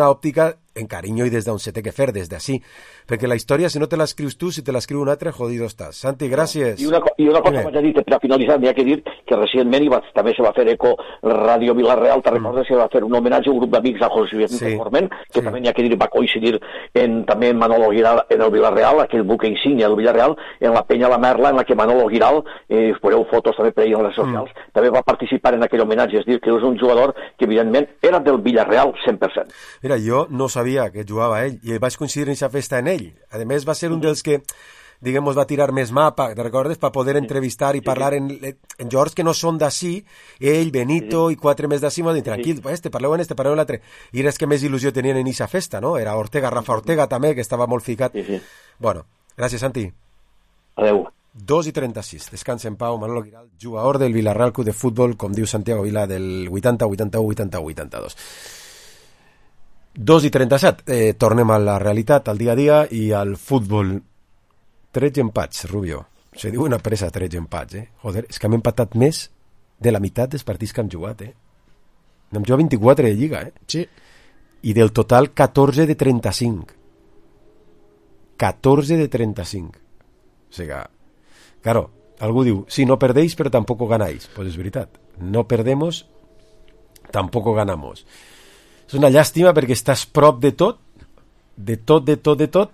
[SPEAKER 3] òptica en carinyo i des d'on se té que fer, des d'ací. Perquè la història, si no te l'escrius tu, si te l'escriu un altre, jodido estàs. Santi, gràcies.
[SPEAKER 13] I una cosa vaig a dir, per a finalitzar, m'hi ha que dir que recentment també se va fer eco Ràdio Vila-real, te recordes que va fer un homenatge a un grup d'amics de José Vicente Forment, que també n'hi ha que dir, va coincidir també en Manolo Giral en el Vila-real, aquell buque insígnia del Vila-real, en la penya La Merla, en la que Manolo Giral, veureu fotos també per ahir en les socials, també va participar en aquell homenatge, és dir, que és un jugador que evidentment era del Vila-real 100%.
[SPEAKER 3] Mira, jo no sabia que jugava ell, i vaig coincidir en aquesta festa en ell. A més, va ser un dels que, diguem, va tirar més mà, te recordes, per poder entrevistar i parlar en jugadors que no són d'ací, ell, Benito i 4 més d'ací, m'ho dit, tranquil, parleu en l'altre. I era els que més il·lusió tenien en aquesta festa, no? Era Ortega, Rafa Ortega també, que estava molt ficat. Bueno, gràcies, Santi.
[SPEAKER 13] Adeu.
[SPEAKER 3] 2:36, descansa en pau, Manolo Giral, jugador del Vila-real Club de Futbol, com diu Santiago Vila, del 80, 81, 80, 82. 2:37, tornem a la realitat, al dia a dia i al futbol. 13 empats, Rubio. Se diu una pressa 13 empats, Joder, és que hem empatat més de la meitat dels partits que hem jugat, Hem jugat 24 de Lliga,
[SPEAKER 5] Sí.
[SPEAKER 3] I del total 14 de 35. 14 de 35. O sigui, claro, algú diu, sí, no perdéis, pero tampoco ganáis. Pues es veritat. No perdemos, tampoco ganamos. És una llàstima perquè estàs prop de tot,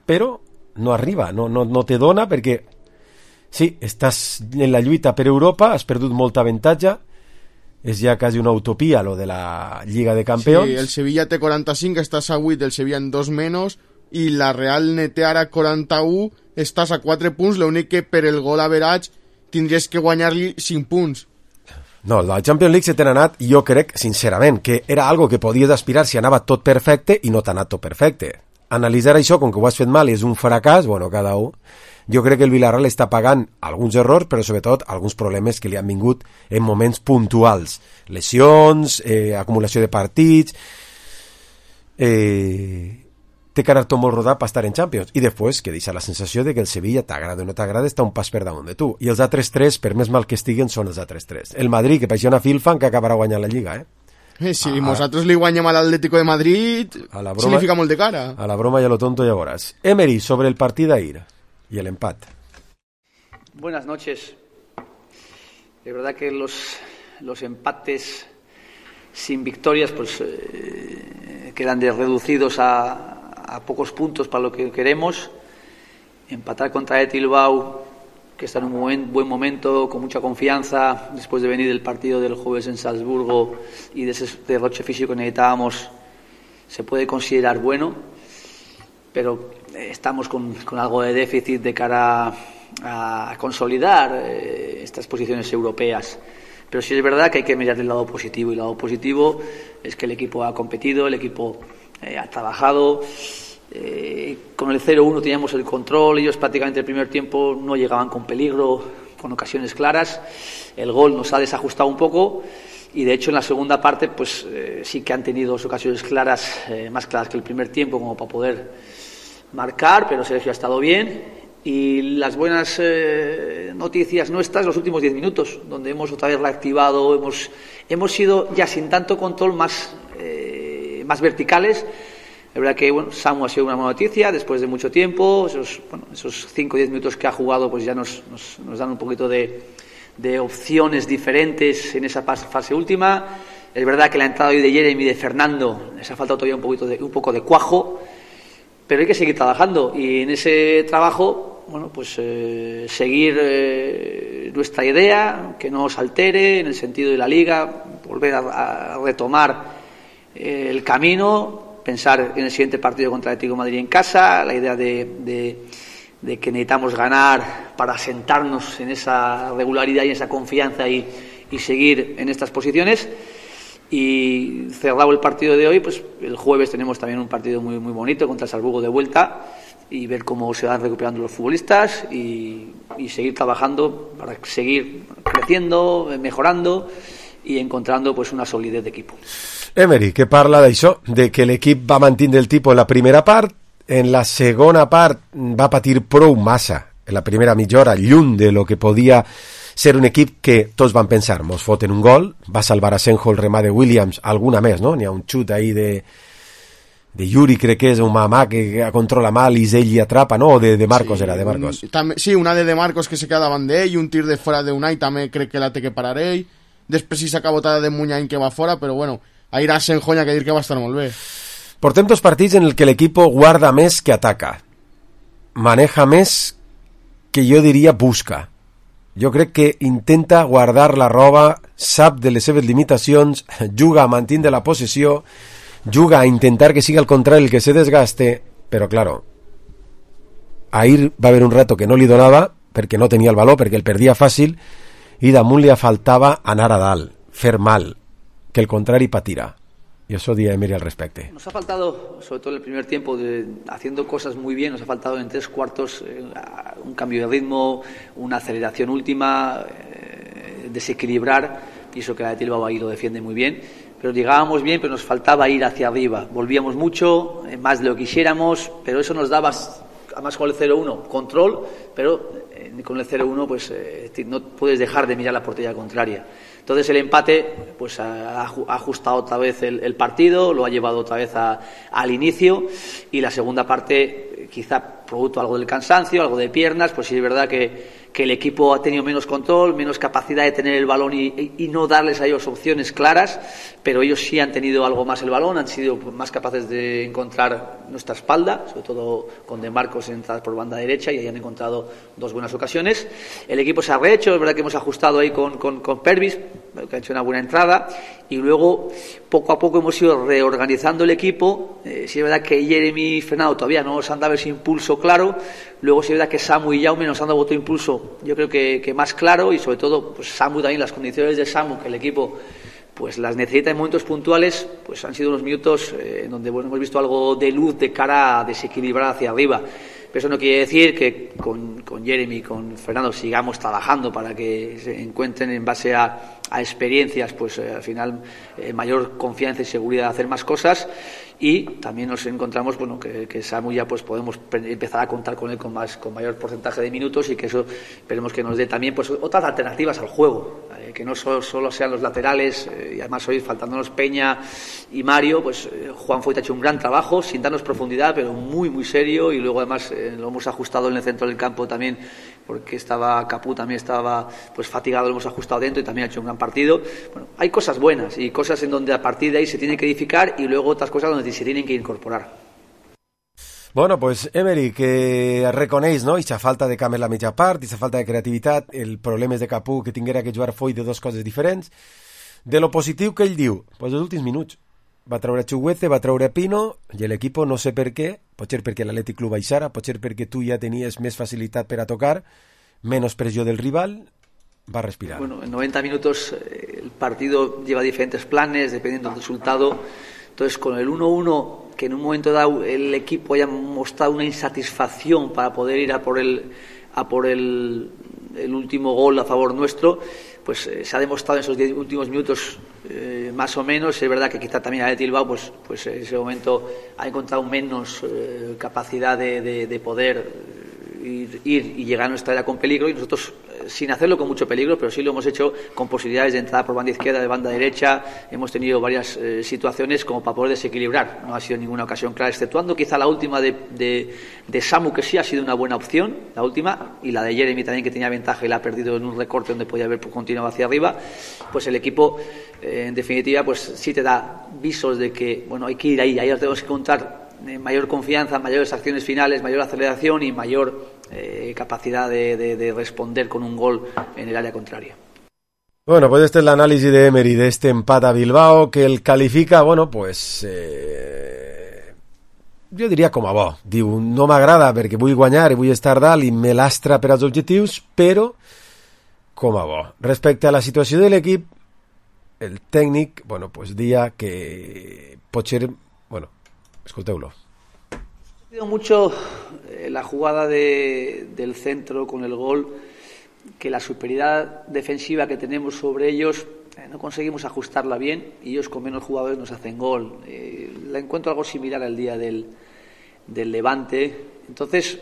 [SPEAKER 3] però no arriba, no te dona perquè sí, estàs en la lluita per Europa, has perdut molta avantatge, és ja quasi una utopia lo de la Lliga de Campeons.
[SPEAKER 5] Sí, el Sevilla té 45, estàs a 8, el Sevilla en 2 menys, i la Real té ara 41, estàs a 4 punts, l'únic que per el gol average tindries que guanyar-li 5 punts.
[SPEAKER 3] No, la Champions League se t'ha anat, i jo crec, sincerament, que era algo que podies aspirar si anava tot perfecte i no t'ha anat tot perfecte. Analitzar això, com que ho has fet mal i és un fracàs, bueno, cada un. Jo crec que el Villarreal està pagant alguns errors, però sobretot alguns problemes que li han vingut en moments puntuals. Lesions, acumulació de partits... té caràcter molt rodat per estar en Champions, i després que deixa la sensació de que el Sevilla, t'agrada o no t'agrada, està un pas per damunt de tu, i els altres 3, per més mal que estiguen, són els altres 3. El Madrid, que paixia una filfan, que acabarà guanyant la Lliga,
[SPEAKER 5] Si nosaltres li guanyem a l'Atlético de Madrid, significa molt de cara.
[SPEAKER 3] A la broma y a lo tonto ya verás. Emery, sobre el partido d'ahir y el empate.
[SPEAKER 14] Buenas noches. De verdad que los empates sin victorias pues quedan reducidos a pocos puntos para lo que queremos. Empatar contra el Bilbao, que está en un buen momento, con mucha confianza, después de venir del partido del jueves en Salzburgo y de ese derroche físico que necesitábamos, se puede considerar bueno, pero estamos con algo de déficit de cara a consolidar estas posiciones europeas. Pero sí es verdad que hay que mirar el lado positivo, y el lado positivo es que el equipo ha competido, el equipo ha trabajado. Con el 0-1 teníamos el control, ellos prácticamente el primer tiempo no llegaban con peligro, con ocasiones claras. El gol nos ha desajustado un poco, y de hecho en la segunda parte pues sí que han tenido ocasiones claras, más claras que el primer tiempo, como para poder marcar, pero Sergio ha estado bien. Y las buenas noticias nuestras, los últimos 10 minutos, donde hemos otra vez reactivado, hemos sido ya sin tanto control más verticales. La verdad que Samu ha sido una buena noticia después de mucho tiempo. Esos 5 o 10 minutos que ha jugado pues ya nos dan un poquito de opciones diferentes en esa fase última. Es verdad que la entrada hoy de Jeremy y de Fernando les ha faltado todavía un poco de cuajo, pero hay que seguir trabajando, y en ese trabajo seguir nuestra idea, que no os altere en el sentido de la Liga, volver a retomar el camino, pensar en el siguiente partido contra el Atlético de Madrid en casa, la idea de que necesitamos ganar para sentarnos en esa regularidad y en esa confianza y seguir en estas posiciones. Y cerrado el partido de hoy, pues el jueves tenemos también un partido muy, muy bonito contra el Salzburgo de vuelta, y ver cómo se van recuperando los futbolistas y seguir trabajando para seguir creciendo, mejorando y encontrando pues una solidez de equipo.
[SPEAKER 3] Emery, que parla d'això, de que l'equip va mantenir el tipus en la primera part, en la segona part va patir prou massa, en la primera mitja hora, lluny de lo que podia ser un equip que tots van pensar, mos foten un gol, va salvar a Senjo el remà de Williams, alguna més, no? N'hi ha un xut ahí de de Yuri, crec que és un mamà que controla mal i ell hi atrapa, no? O de Marcos,
[SPEAKER 5] sí,
[SPEAKER 3] era de Marcos.
[SPEAKER 5] Sí, una de Marcos que se queda davant d'ell, un tir de fora d'Unai també crec que la té que parar ell, després sí s'acaba botada de Munyain que va fora, però bueno, ahir a Senjoña que dir que va estar molt bé.
[SPEAKER 3] Portem 2 partits en el que l'equip guarda més que ataca, maneja més que jo diria busca. Jo crec que intenta guardar la roba, sap de les seves limitacions, juga a mantenir la possessió, juga a intentar que sigui al contrari el que se desgaste, però claro, ahir va haver un rato que no li donava perquè no tenia el valor, perquè el perdia fàcil, i damunt li faltava anar a dalt, fer mal, que el contrari patira. Y eso di a Emery al respecto.
[SPEAKER 14] Nos ha faltado, sobre todo en el primer tiempo, haciendo cosas muy bien, nos ha faltado en 3 cuartos un cambio de ritmo, una aceleración última, desequilibrar, y eso que la de Bilbao ahí lo defiende muy bien. Pero llegábamos bien, pero nos faltaba ir hacia arriba. Volvíamos mucho, más de lo que quisiéramos, pero eso nos daba, además con el 0-1, control, pero con el 0-1 pues no puedes dejar de mirar la portería contraria. Entonces el empate pues ha ajustado otra vez el partido, lo ha llevado otra vez al inicio, y la segunda parte, quizá producto algo del cansancio, algo de piernas, pues sí es verdad que el equipo ha tenido menos control, menos capacidad de tener el balón y no darles a ellos opciones claras, pero ellos sí han tenido algo más el balón, han sido más capaces de encontrar nuestra espalda, sobre todo con De Marcos entradas por banda derecha, y ahí han encontrado 2 buenas ocasiones. El equipo se ha rehecho, es verdad que hemos ajustado ahí con Pervis, que ha hecho una buena entrada, y luego poco a poco hemos ido reorganizando el equipo. Sí es verdad que Jeremy y Fernando todavía no nos han dado ese impulso claro, luego sí es verdad que Samu y Jaume nos han dado otro impulso, yo creo que más claro, y sobre todo pues Samu también, las condiciones de Samu, que el equipo pues las necesita en momentos puntuales, pues han sido unos minutos en donde bueno, hemos visto algo de luz de cara a desequilibrar hacia arriba. Pero eso no quiere decir que con Jeremy y con Fernando sigamos trabajando para que se encuentren en base a experiencias, pues al final mayor confianza y seguridad de hacer más cosas. Y también nos encontramos bueno que Samu ya pues podemos empezar a contar con él con mayor porcentaje de minutos, y que eso esperemos que nos dé también pues otras alternativas al juego, que no solo sean los laterales, y además hoy faltándonos Peña y Mario, pues Juan Foyt ha hecho un gran trabajo sin darnos profundidad, pero muy muy serio, y luego además lo hemos ajustado en el centro del campo también, porque estaba Capú, también estaba pues fatigado, lo hemos ajustado dentro y también ha hecho un gran partido. Bueno, hay cosas buenas y cosas en donde a partir de ahí se tiene que edificar, y luego otras cosas donde se tienen que incorporar.
[SPEAKER 3] Bueno, pues Emery, que reconeix, no?, aquesta falta de canvi en la mitja part, aquesta falta de creativitat, el problema és de Capú, que tinguera que jugar Foyt de 2 coses diferents. De lo positiu que ell diu, pues els últims minuts. Va treure Chuguete, va treure Pino, i l'equip no sé per què, potser perquè l'Atlètic Club baixara, potser perquè tu ja tenies més facilitat per a tocar, menos pressió del rival, va a respirar.
[SPEAKER 14] Bueno, en 90 minutos el partido lleva diferentes planes, dependiendo del resultado. Entonces, con el 1-1, que en un momento dado el equipo haya mostrado una insatisfacción para poder ir a por el último gol a favor nuestro, pues se ha demostrado en esos 10 últimos minutos más o menos. Es verdad que quizá también a Bilbao pues en ese momento ha encontrado menos capacidad de poder ir y llegar a nuestra área con peligro, y nosotros sin hacerlo con mucho peligro, pero sí lo hemos hecho con posibilidades de entrada por banda izquierda, de banda derecha. Hemos tenido varias situaciones como para poder desequilibrar. No ha sido ninguna ocasión clara, exceptuando quizá la última de Samu, que sí ha sido una buena opción, la última, y la de Jeremy también, que tenía ventaja y la ha perdido en un recorte donde podía haber continuado hacia arriba. Pues el equipo en definitiva pues sí te da visos de que bueno, hay que ir ahí tenemos que contar mayor confianza, mayores acciones finales, mayor aceleración y mayor capacidad de responder con un gol en el área contraria.
[SPEAKER 3] Bueno, pues este es el análisis de Emery de este empate a Bilbao, que el califica, bueno, pues jo diria com a bo. Diu, no m'agrada perquè vull guanyar i vull estar dalt i me lastra per als objectius, però com a bo. Respecte a la situació de l'equip, el tècnic, bueno, pues dia que pot ser, bueno, escolteu-lo.
[SPEAKER 14] Ha sido mucho la jugada del centro con el gol, que la superioridad defensiva que tenemos sobre ellos no conseguimos ajustarla bien, y ellos con menos jugadores nos hacen gol. La encuentro algo similar al día del Levante. Entonces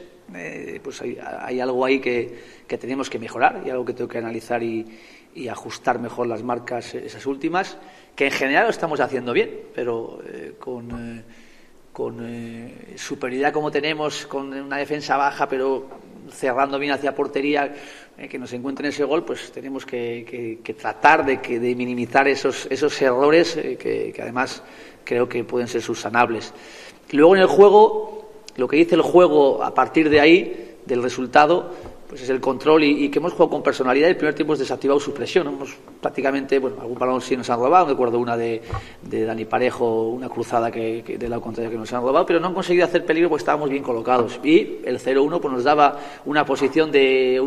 [SPEAKER 14] pues hay algo ahí que tenemos que mejorar, y algo que tengo que analizar y ajustar mejor las marcas, esas últimas, que en general lo estamos haciendo bien, pero con superioridad como tenemos, con una defensa baja, pero cerrando bien hacia portería, que nos encuentren ese gol, pues tenemos que tratar de minimizar esos errores que además creo que pueden ser subsanables. Luego en el juego, lo que dice el juego a partir de ahí, del resultado, pues es el control y que hemos jugado con personalidad. El primer tiempo hemos desactivado su presión, hemos prácticamente, algún balón sí nos han robado, me acuerdo una de Dani Parejo, una cruzada que de lado contrario que nos han robado, pero no han conseguido hacer peligro porque estábamos bien colocados, y el 0-1 pues nos daba una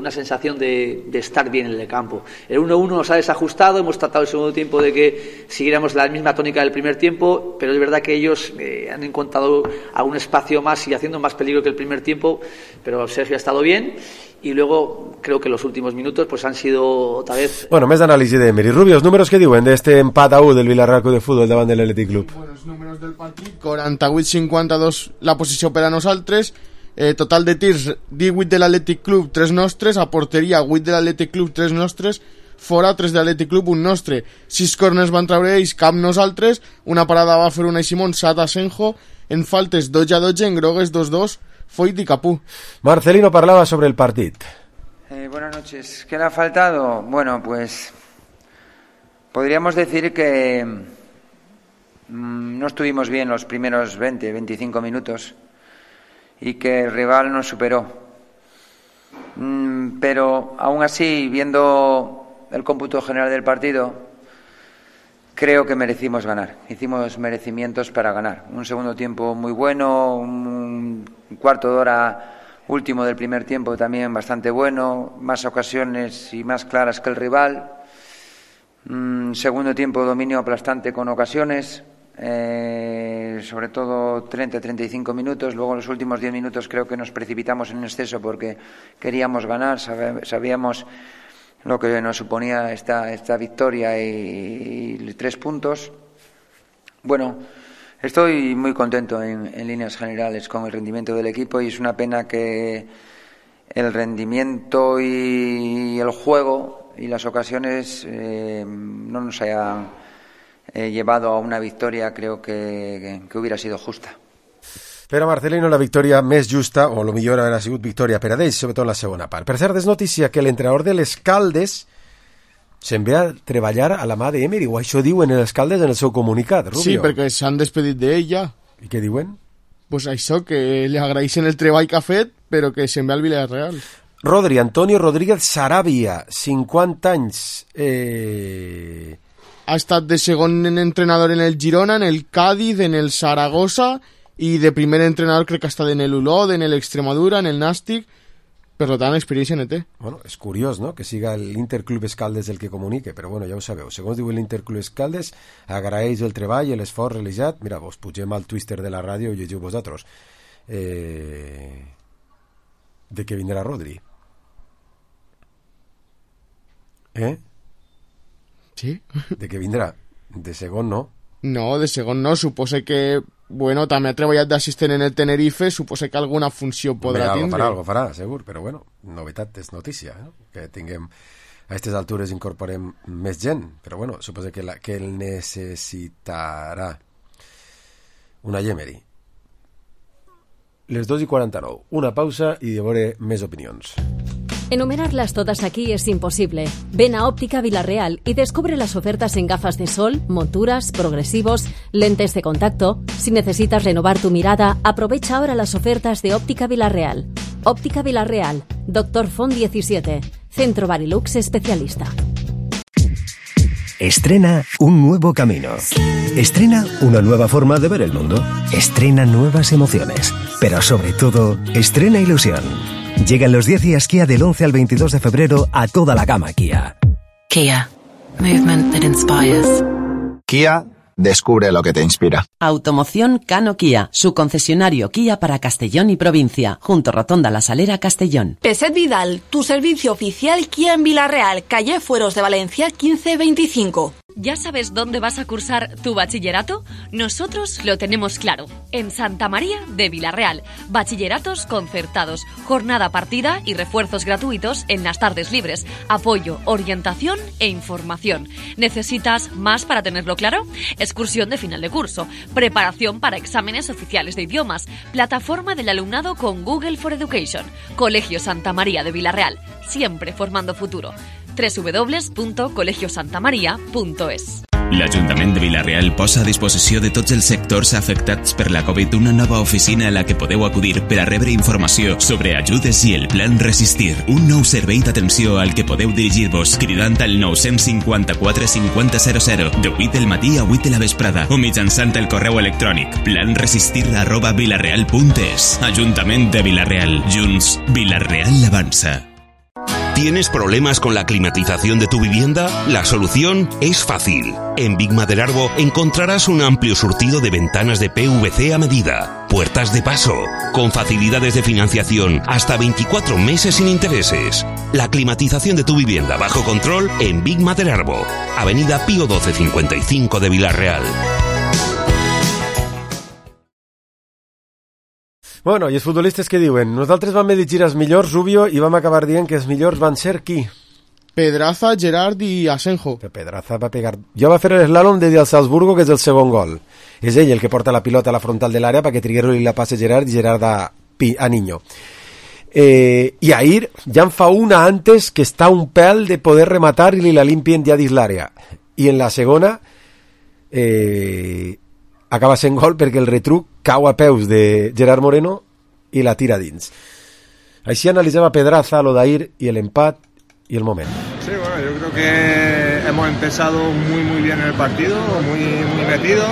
[SPEAKER 14] sensación de estar bien en el campo. El 1-1 nos ha desajustado, hemos tratado el segundo tiempo de que siguiéramos la misma tónica del primer tiempo, pero es verdad que ellos han encontrado algún espacio más y haciendo más peligro que el primer tiempo, pero Sergio ha estado bien. Y luego creo que los últimos minutos pues han sido otra vez...
[SPEAKER 3] Bueno, més d'anàlisi d'Emery. Rubio, els números que diuen d'este empat a 1 del Villarreal Club de Futbol davant de l'Atlètic Club?
[SPEAKER 5] Bueno, els números del partit, 48-52 la posició per a nosaltres, total de tirs 18 de l'Atlètic Club, 3 nostres, a porteria 8 de l'Atlètic Club, 3 nostres, fora 3 de l'Atlètic Club, 1 nostre, 6 corners van treure ells, cap nosaltres, una parada va fer Unai Simón, 7 a Senjo, en faltes 12-12, en grogues 2-2, Foyt y Capú.
[SPEAKER 3] Marcelino parlaba sobre el partido.
[SPEAKER 15] Buenas noches. ¿Qué le ha faltado? Bueno, pues podríamos decir que no estuvimos bien los primeros 20-25 minutos y que el rival nos superó. Pero aún así, viendo el cómputo general del partido, creo que merecimos ganar. Hicimos merecimientos para ganar. Un segundo tiempo muy bueno, un cuarto de hora último del primer tiempo también bastante bueno, más ocasiones y más claras que el rival. Segundo tiempo dominio aplastante con ocasiones, sobre todo 30-35 minutos. Luego en los últimos 10 minutos creo que nos precipitamos en exceso porque queríamos ganar, sabíamos lo que nos suponía esta victoria y 3 puntos. Bueno, estoy muy contento en líneas generales con el rendimiento del equipo y es una pena que el rendimiento y el juego y las ocasiones no nos hayan llevado a una victoria, creo que hubiera sido justa.
[SPEAKER 3] Però Marcelino, la victòria més justa, o millor haurà sigut victòria per a ells, sobretot en la segona part. Per cert, és notícia que l'entrenador de les Caldes se'n ve a treballar a la mà d'Emery, o això diuen els Caldes en el seu comunicat, Rubio.
[SPEAKER 5] Sí, perquè s'han despedit d'ell ja.
[SPEAKER 3] I què diuen?
[SPEAKER 5] Pues això, que li agraeixen el treball que ha fet, però que se'n ve al Villarreal.
[SPEAKER 3] Rodri, Antonio Rodríguez Sarabia, 50 anys.
[SPEAKER 5] Ha estat de segon entrenador en el Girona, en el Cádiz, en el Zaragoza, i de primer entrenador crec que ha estat en el Olot, en l'Extremadura, en el Nàstic, per tant experiència en té.
[SPEAKER 3] Bueno, és curiós, no?, que siga l'Interclub Escaldes el que comunique, però bueno, ja ho sabeu. Segons diu l'Interclub Escaldes, agraeix el treball i l'esforç realitzat. Mira, vos pugem al Twitter de la ràdio i llegiu vosaltres. De que vindrà Rodri.
[SPEAKER 5] Sí.
[SPEAKER 3] De que vindrà. De segon no.
[SPEAKER 5] No, de segon no. Suposa que, bueno, també ha treballat d'assistent en el Tenerife, suposa que alguna funció podrà tindre.
[SPEAKER 3] Algo farà, segur, però bueno, novetat és notícia, que tinguem a aquestes altures incorporem més gent, però bueno, suposa que el necessitarà una Emery. Les 2:49, una pausa i de veure més opinions.
[SPEAKER 12] Enumerarlas todas aquí es imposible. Ven a Óptica Villarreal y descubre las ofertas en gafas de sol, monturas, progresivos, lentes de contacto. Si necesitas renovar tu mirada, aprovecha ahora las ofertas de Óptica Villarreal. Óptica Villarreal, Dr. Font 17, Centro Barilux especialista.
[SPEAKER 16] Estrena un nuevo camino. Estrena una nueva forma de ver el mundo. Estrena nuevas emociones. Pero sobre todo, estrena ilusión. Llegan los 10 días Kia del 11 al 22 de febrero a toda la gama Kia.
[SPEAKER 17] Kia. Movement that inspires.
[SPEAKER 18] Kia, descubre lo que te inspira.
[SPEAKER 19] Automoción Cano Kia, su concesionario Kia para Castellón y provincia, junto Rotonda La Salera, Castellón.
[SPEAKER 11] Peset Vidal, tu servicio oficial Kia en Villarreal, calle Fueros de Valencia 1525.
[SPEAKER 20] ¿Ya sabes dónde vas a cursar tu bachillerato? Nosotros lo tenemos claro. En Santa María de Vilarreal. Bachilleratos concertados, jornada partida y refuerzos gratuitos en las tardes libres. Apoyo, orientación e información. ¿Necesitas más para tenerlo claro? Excursión de final de curso. Preparación para exámenes oficiales de idiomas. Plataforma del alumnado con Google for Education. Colegio Santa María de Vilarreal. Siempre formando futuro. www.colegiosantamaria.es.
[SPEAKER 21] L'Ajuntament de Vilarreal posa a disposició de tots els sectors afectats per la Covid una nova oficina a la que podeu acudir per a rebre informació sobre ajudes i el plan Resistir. Un nou servei d'atenció al que podeu dirigir-vos cridant al 954 5000 de 8 del matí a 8 de la vesprada o mitjançant el correu electrònic planresistir@vilarreal.es. Ajuntament de Vilarreal. Junts, Vilarreal avança.
[SPEAKER 22] ¿Tienes problemas con la climatización de tu vivienda? La solución es fácil. En Big Maderarbo encontrarás un amplio surtido de ventanas de PVC a medida, puertas de paso, con facilidades de financiación hasta 24 meses sin intereses. La climatización de tu vivienda bajo control en Big Maderarbo, Avenida Pío 1255 de Vilarreal.
[SPEAKER 3] Bueno, i els futbolistes què diuen? Nosaltres vam elegir els millors, Rubio, i vam acabar dient que els millors van ser qui?
[SPEAKER 5] Pedraza, Gerard i Asenjo.
[SPEAKER 3] Pedraza va pegar... Jo va fer l'eslàlom de al Salzburgo, que és el segon gol. És ell el que porta la pilota a la frontal de l'àrea perquè Triguero li la passe Gerard i Gerard a Niño. I ahir ja en fa una antes que està un pèl de poder rematar i li la limpien ja dins l'àrea. I en la segona acaba sent gol perquè el retruc cau a peus de Gerard Moreno i la tira dins. Així analitzava Pedraza lo d'ahir y el empat y el momento.
[SPEAKER 23] Sí, bueno, yo creo que hemos empezado muy bien el partido, muy metidos.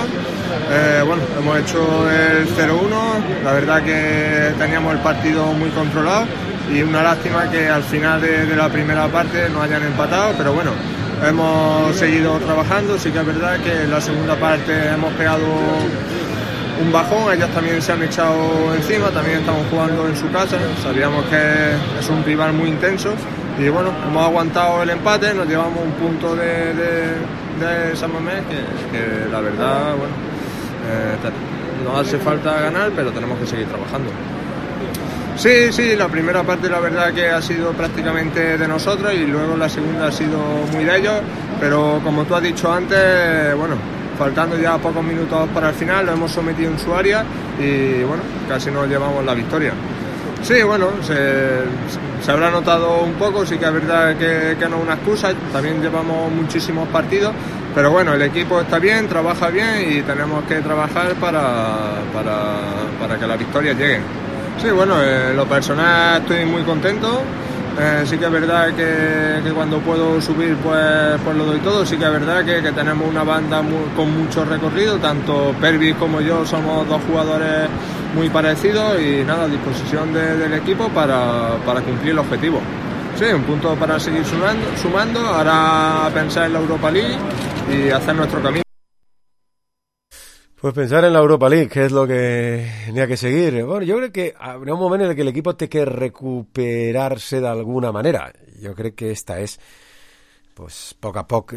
[SPEAKER 23] Bueno, hemos hecho el 0-1, la verdad que teníamos el partido muy controlado y una lástima que al final de la primera parte no hayan empatado, pero bueno, hemos seguido trabajando. Sí que es verdad que en la segunda parte hemos pegado un bajón, ellos también se han echado encima, también estamos jugando en su casa, sabíamos que es un rival muy intenso y bueno, hemos aguantado el empate, nos llevamos un punto de San Mamés que la verdad, bueno, nos hace falta ganar, pero tenemos que seguir trabajando. Sí, la primera parte la verdad que ha sido prácticamente de nosotros y luego la segunda ha sido muy de ellos, pero como tú has dicho antes, bueno, faltando ya pocos minutos para el final, lo hemos sometido en su área y bueno, casi nos llevamos la victoria. Sí, bueno, se habrá notado un poco, sí que es verdad que no es una excusa, también llevamos muchísimos partidos, pero bueno, el equipo está bien, trabaja bien y tenemos que trabajar para que las victorias lleguen. Sí, bueno, en lo personal estoy muy contento. Sí que es verdad que cuando puedo subir pues lo doy todo. Sí que es verdad que tenemos una banda con mucho recorrido, tanto Pervis como yo somos dos jugadores muy parecidos y nada, a disposición del equipo para cumplir el objetivo. Sí, un punto para seguir sumando, ahora pensar en la Europa League y hacer nuestro camino.
[SPEAKER 3] Pues pensar en la Europa League, que es lo que tenía que seguir. Bueno, yo creo que habrá un momento en el que el equipo tiene que recuperarse de alguna manera. Yo creo que esta es, pues, poc a poc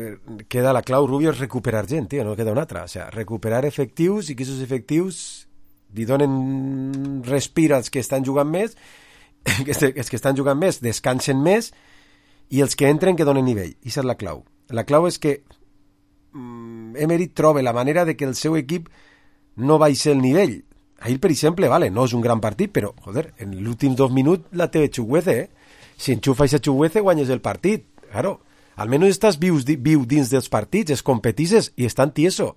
[SPEAKER 3] queda la clau, Rubio, és recuperar gent, tio, no queda una altra. O sea, recuperar efectius i que aquests efectius li donen respir als que estan jugant més, els que estan jugant més descansen més i els que entren que donen nivell. I aquesta és la clau. La clau és que Emery troba la manera de que el seu equip no baixi el nivell. Ahir, per exemple, vale, no és un gran partit, però, joder, en els últims 2 minuts la té Chukwueze, Si enxufes a Chukwueze, guanyes el partit. Claro, almenys estàs viu dins dels partits, es competisses i estan tiesos.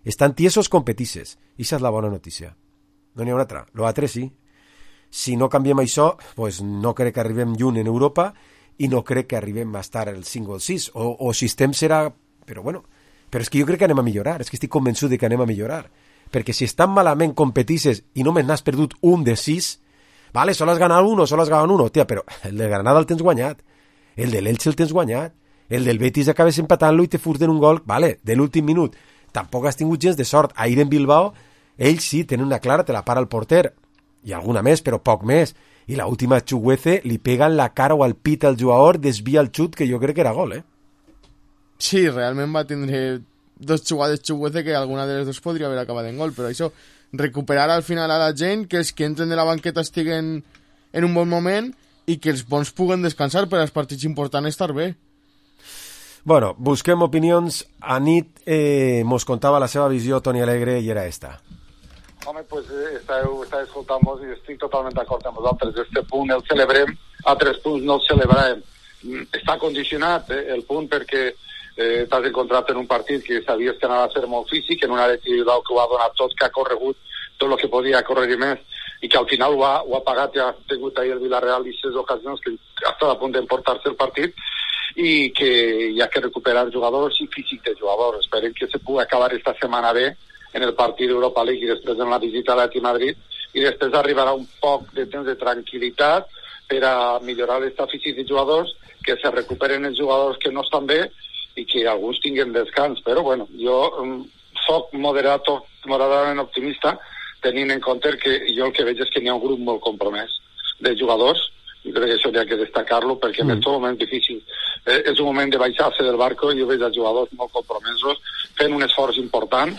[SPEAKER 3] Estan tiesos competisses. I això és la bona notícia. No n'hi ha una altra. Lo altre sí. Si no canviem això, pues no crec que arribem lluny en Europa i no crec que arribem a estar el 5 o el 6. O si estem serà... Però bueno, però és que jo crec que anem a millorar. És que estic convençut de que anem a millorar. Perquè si estan malament competisses i només n'has perdut un de 6, vale, solo has ganat un o solo has ganat un, tia, però el de Granada el tens guanyat, el de l'Elche el tens guanyat, el del Betis acabes empatant-lo i te furten un gol, vale, de l'últim minut. Tampoc has tingut gens de sort. Ahir en Bilbao, ells sí, tenen una clara, te la para el porter, i alguna més, però poc més. I l'última Chukwueze li pega en la cara o al pit al jugador, desvia el xut, que jo crec que era gol,
[SPEAKER 5] Sí, realment va tindre 2 jugades xuguetes que alguna de les dos podria haver acabat en gol, però això, recuperar al final a la gent, que els que entren de la banqueta estiguen en un bon moment i que els bons puguen descansar per als partits importants estar bé.
[SPEAKER 3] Bueno, busquem opinions. A nit mos contava la seva visió Toni Alegre i era esta.
[SPEAKER 1] Home, pues estàveu escoltant-vos i estic totalment d'acord amb vosaltres. Este punt el celebrem, altres punts no el celebrarem. Està condicionat el punt perquè t'has encontrat en un partit que sabies que anava a ser molt físic, en una Atleti Bilbao que ho ha donat tot, que ha corregut tot el que podia córrer més i que al final ho ha pagat, ja ha tingut ahir el Villarreal i 6 ocasions que ha estat a punt d'emportar-se el partit i que hi ha que recuperar jugadors i físic de jugadors. Esperem que se pugui acabar esta setmana bé en el partit d'Europa League i després en la visita a l'Atleti Madrid i després arribarà un poc de temps de tranquil·litat per a millorar l'estat físic de jugadors, que se recuperen els jugadors que no estan bé i que alguns tinguin descans, però bueno, jo soc moderadament optimista tenint en compte que jo el que veig és que n'hi ha un grup molt compromès de jugadors i crec que això hi ha que destacar-lo perquè en aquest moment difícil és un moment de baixar-se del barco i jo veig els jugadors molt compromesos fent un esforç important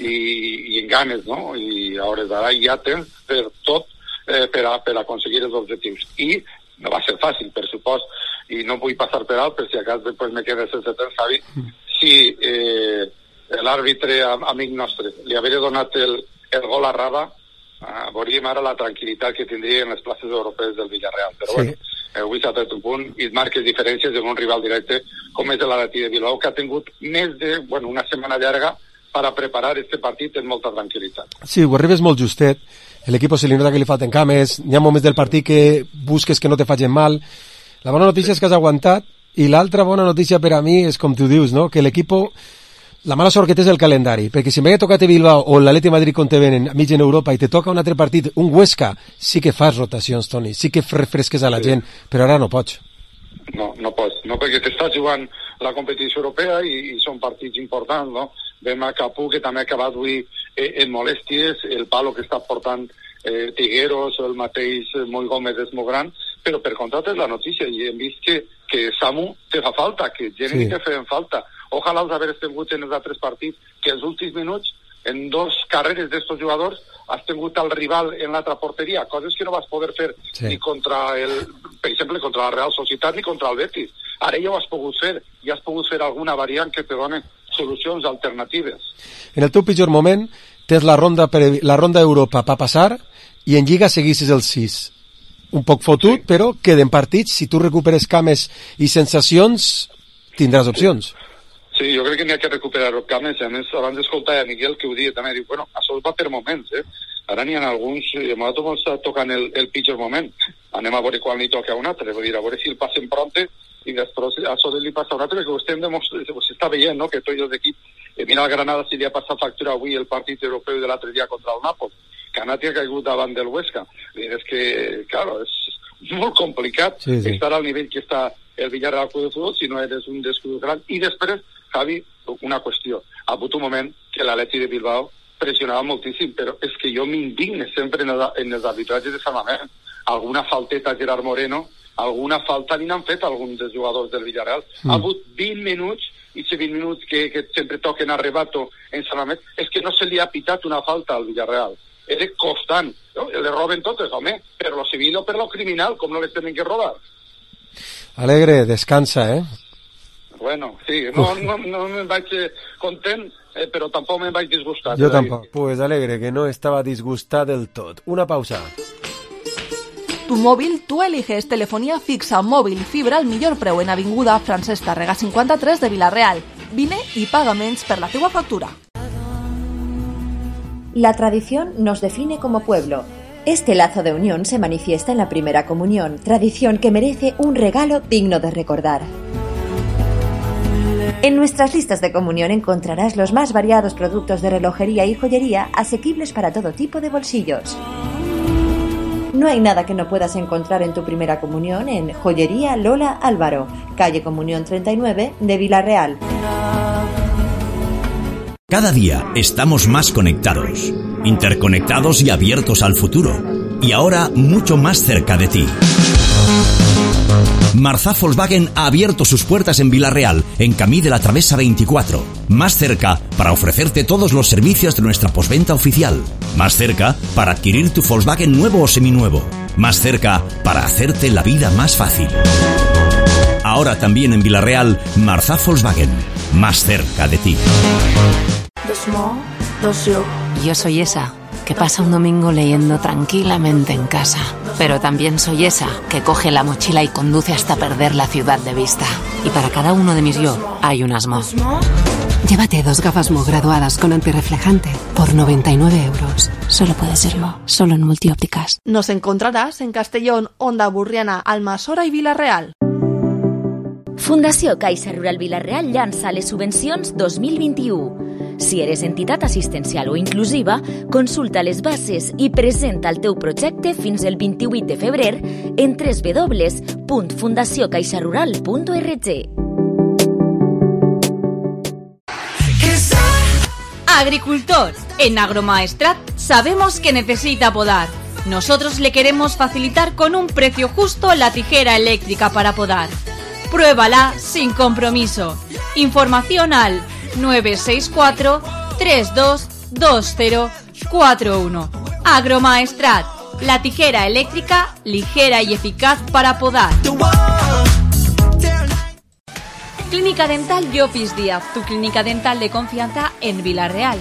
[SPEAKER 1] i en ganes, no? I a hores d'ara hi ha temps per tot per aconseguir els objectius i no va ser fàcil, per supost, i no vull passar per alt, per si acas després me quedes sense temps, Javi, si l'àrbitre amic nostre li havia donat el gol a Rada, veuríem ara la tranquil·litat que tindria en les places europees del Villarreal, però bueno, avui s'ha tret un punt i et marques diferències en un rival directe com és l'Atleti de Bilbao, que ha tingut més de, una setmana llarga per a preparar este partit en molta tranquil·litat.
[SPEAKER 3] Sí, ho arribes molt justet, l'equip se li nota que li falten cames, hi ha moments del partit que busques que no te facin mal. La bona notícia és que has aguantat i l'altra bona notícia per a mi és com tu dius, no? Que l'equip, la mala sort que té és el calendari, perquè si m'hagués tocat a Bilbao o l'Atleti Madrid quan te venen a mig en Europa i te toca un altre partit, un Huesca, sí que fas rotacions, Toni, sí que refresques a la gent, però ara no pots.
[SPEAKER 1] No pots, no, perquè t'estàs jugant la competició europea i són partits importants, no? Vem a Capú, que també ha acabat avui en molèsties, el palo que està portant Tigueros o el mateix Moll Gómez és molt gran, però per contra és la notícia i hem vist que Samu te fa falta, que Generi te feien falta. Ojalà els haver tingut en els altres partits, que els últims minuts, en 2 carreres d'estos jugadors, has tingut el rival en l'altra porteria, coses que no vas poder fer ni contra per exemple, contra la Real Societat ni contra el Betis. Ara ja ho has pogut fer, i has pogut fer alguna variant que te doni solucions alternatives.
[SPEAKER 3] En el teu pitjor moment tens la ronda Europa per passar i en Lliga seguissis el 6. Un poc fotut, però queden partits, si tu recuperes cames i sensacions, tindràs opcions.
[SPEAKER 1] Sí, jo crec que n'hi ha que recuperar cames, a més, abans d'escoltar a Miguel que ho dia també, diu, bueno, això va per moments, ara n'hi ha alguns, i a nosaltres està tocant el pitjor moment, anem a veure quan li toca a un altre, vull dir, a veure si el passem pronte i després a això li passa a un altre, perquè s'està veient, no?, que tots els equips, mira el Granada si li ha passat factura avui el partit europeu de l'altre dia contra el Nàpols, que Anati ha caigut davant del Huesca, és que, claro, és molt complicat estar al nivell que està el Villarreal Club de Futbol si no eres un descuido gran, i després, Javi, una qüestió, ha hagut un moment que l'Atleti de Bilbao pressionava moltíssim, però és que jo m'indigne sempre en els arbitratges de Sant Mamés, alguna falteta a Gerard Moreno, alguna falta ni n'han fet alguns dels jugadors del Villarreal. Ha hagut 20 minuts, i si 20 minuts que sempre toquen a Rebato en Sant Mamés, és que no se li ha pitat una falta al Villarreal. Era constant, no? Le roben totes, home, per lo civil o per lo criminal, com no les tenen que robar.
[SPEAKER 3] Alegre, descansa,
[SPEAKER 1] Bueno, sí, no me'n vaig content, però tampoc me'n vaig disgustat.
[SPEAKER 3] Jo tampoc. Pues Alegre, que no estava disgustat del tot. Una pausa.
[SPEAKER 10] Tu mòbil, tu eliges telefonía fixa, mòbil i fibra al millor preu en Avinguda Francesc Tàrrega 53 de Vila-real. Vine i paga menys per la teua factura.
[SPEAKER 2] La tradición nos define como pueblo. Este lazo de unión se manifiesta en la primera comunión, tradición que merece un regalo digno de recordar. En nuestras listas de comunión encontrarás los más variados productos de relojería y joyería asequibles para todo tipo de bolsillos. No hay nada que no puedas encontrar en tu primera comunión en Joyería Lola Álvaro, calle Comunión 39 de Vila-real.
[SPEAKER 4] Cada día estamos más conectados, interconectados y abiertos al futuro. Y ahora mucho más cerca de ti. Marzá Volkswagen ha abierto sus puertas en Villarreal, en Camí de la Travesa 24. Más cerca para ofrecerte todos los servicios de nuestra postventa oficial. Más cerca para adquirir tu Volkswagen nuevo o seminuevo. Más cerca para hacerte la vida más fácil. Ahora también en Villarreal, Marzá Volkswagen. Más cerca de ti.
[SPEAKER 17] Yo soy esa que pasa un domingo leyendo tranquilamente en casa. Pero también soy esa que coge la mochila y conduce hasta perder la ciudad de vista. Y para cada uno de mis yo hay un Asmo.
[SPEAKER 7] Llévate 2 gafas Mo graduadas con antirreflejante por 99 euros. Solo puede ser Mo, solo en Multiópticas.
[SPEAKER 10] Nos encontrarás en Castellón, Onda Burriana, Almassora i Vila-real.
[SPEAKER 6] Fundació Caixa Rural Vila-real llança les subvencions 2021. Si eres entitat assistencial o inclusiva, consulta les bases i presenta el teu projecte fins el 28 de febrer en www.fundaciocaixarural.org.
[SPEAKER 8] Agricultor, en Agromaestrat sabemos que necesita podar. Nosotros le queremos facilitar con un precio justo la tijera eléctrica para podar. Pruébala sin compromiso. Información al 964 322041. Agromaestrat, la tijera eléctrica ligera y eficaz para podar. Clínica Dental Llopis Díaz, tu clínica dental de confianza en Vila-real.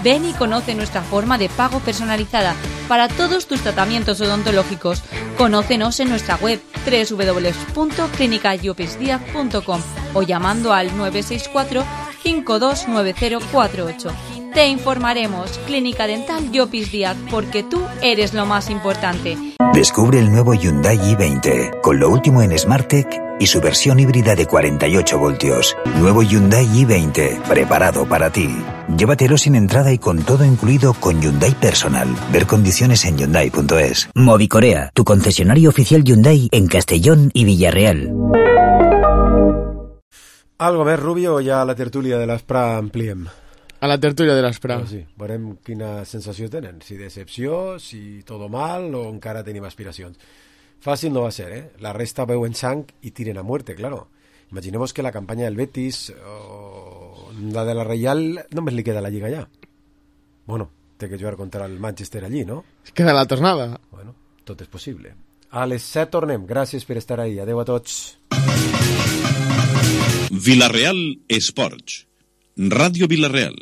[SPEAKER 8] Ven y conoce nuestra forma de pago personalizada para todos tus tratamientos odontológicos. Conócenos en nuestra web www.clinicallopisdiaz.com o llamando al 964 529048. Te informaremos. Clínica Dental Llopis Díaz, porque tú eres lo más importante.
[SPEAKER 9] Descubre el nuevo Hyundai i20 con lo último en SmartTech y su versión híbrida de 48 voltios. Nuevo Hyundai i20, preparado para ti. Llévatelo sin entrada y con todo incluido con Hyundai Personal. Ver condiciones en Hyundai.es.
[SPEAKER 24] Movicorea, tu concesionario oficial Hyundai en Castellón y Villarreal.
[SPEAKER 3] Algo més, Rubio, o ja a la tertúlia de l'Aspra ampliem?
[SPEAKER 5] A la tertúlia de l'Aspra.
[SPEAKER 3] Sí, veurem quina sensació tenen, si decepció, si todo mal o encara tenim aspiracions. Fàcil no va ser, ¿eh? La resta veuen sang i tiren a muerte, claro. Imaginemos que la campanya del Betis o la de la Reial només li queda la Lliga ja. Bueno, té que jugar contra el Manchester allí, no?
[SPEAKER 5] Queda la tornada.
[SPEAKER 3] Bueno, tot és possible. A les 7 tornem. Gràcies per estar ahí. Adeu a tots.
[SPEAKER 21] Vila-real Esports. Ràdio Vila-real.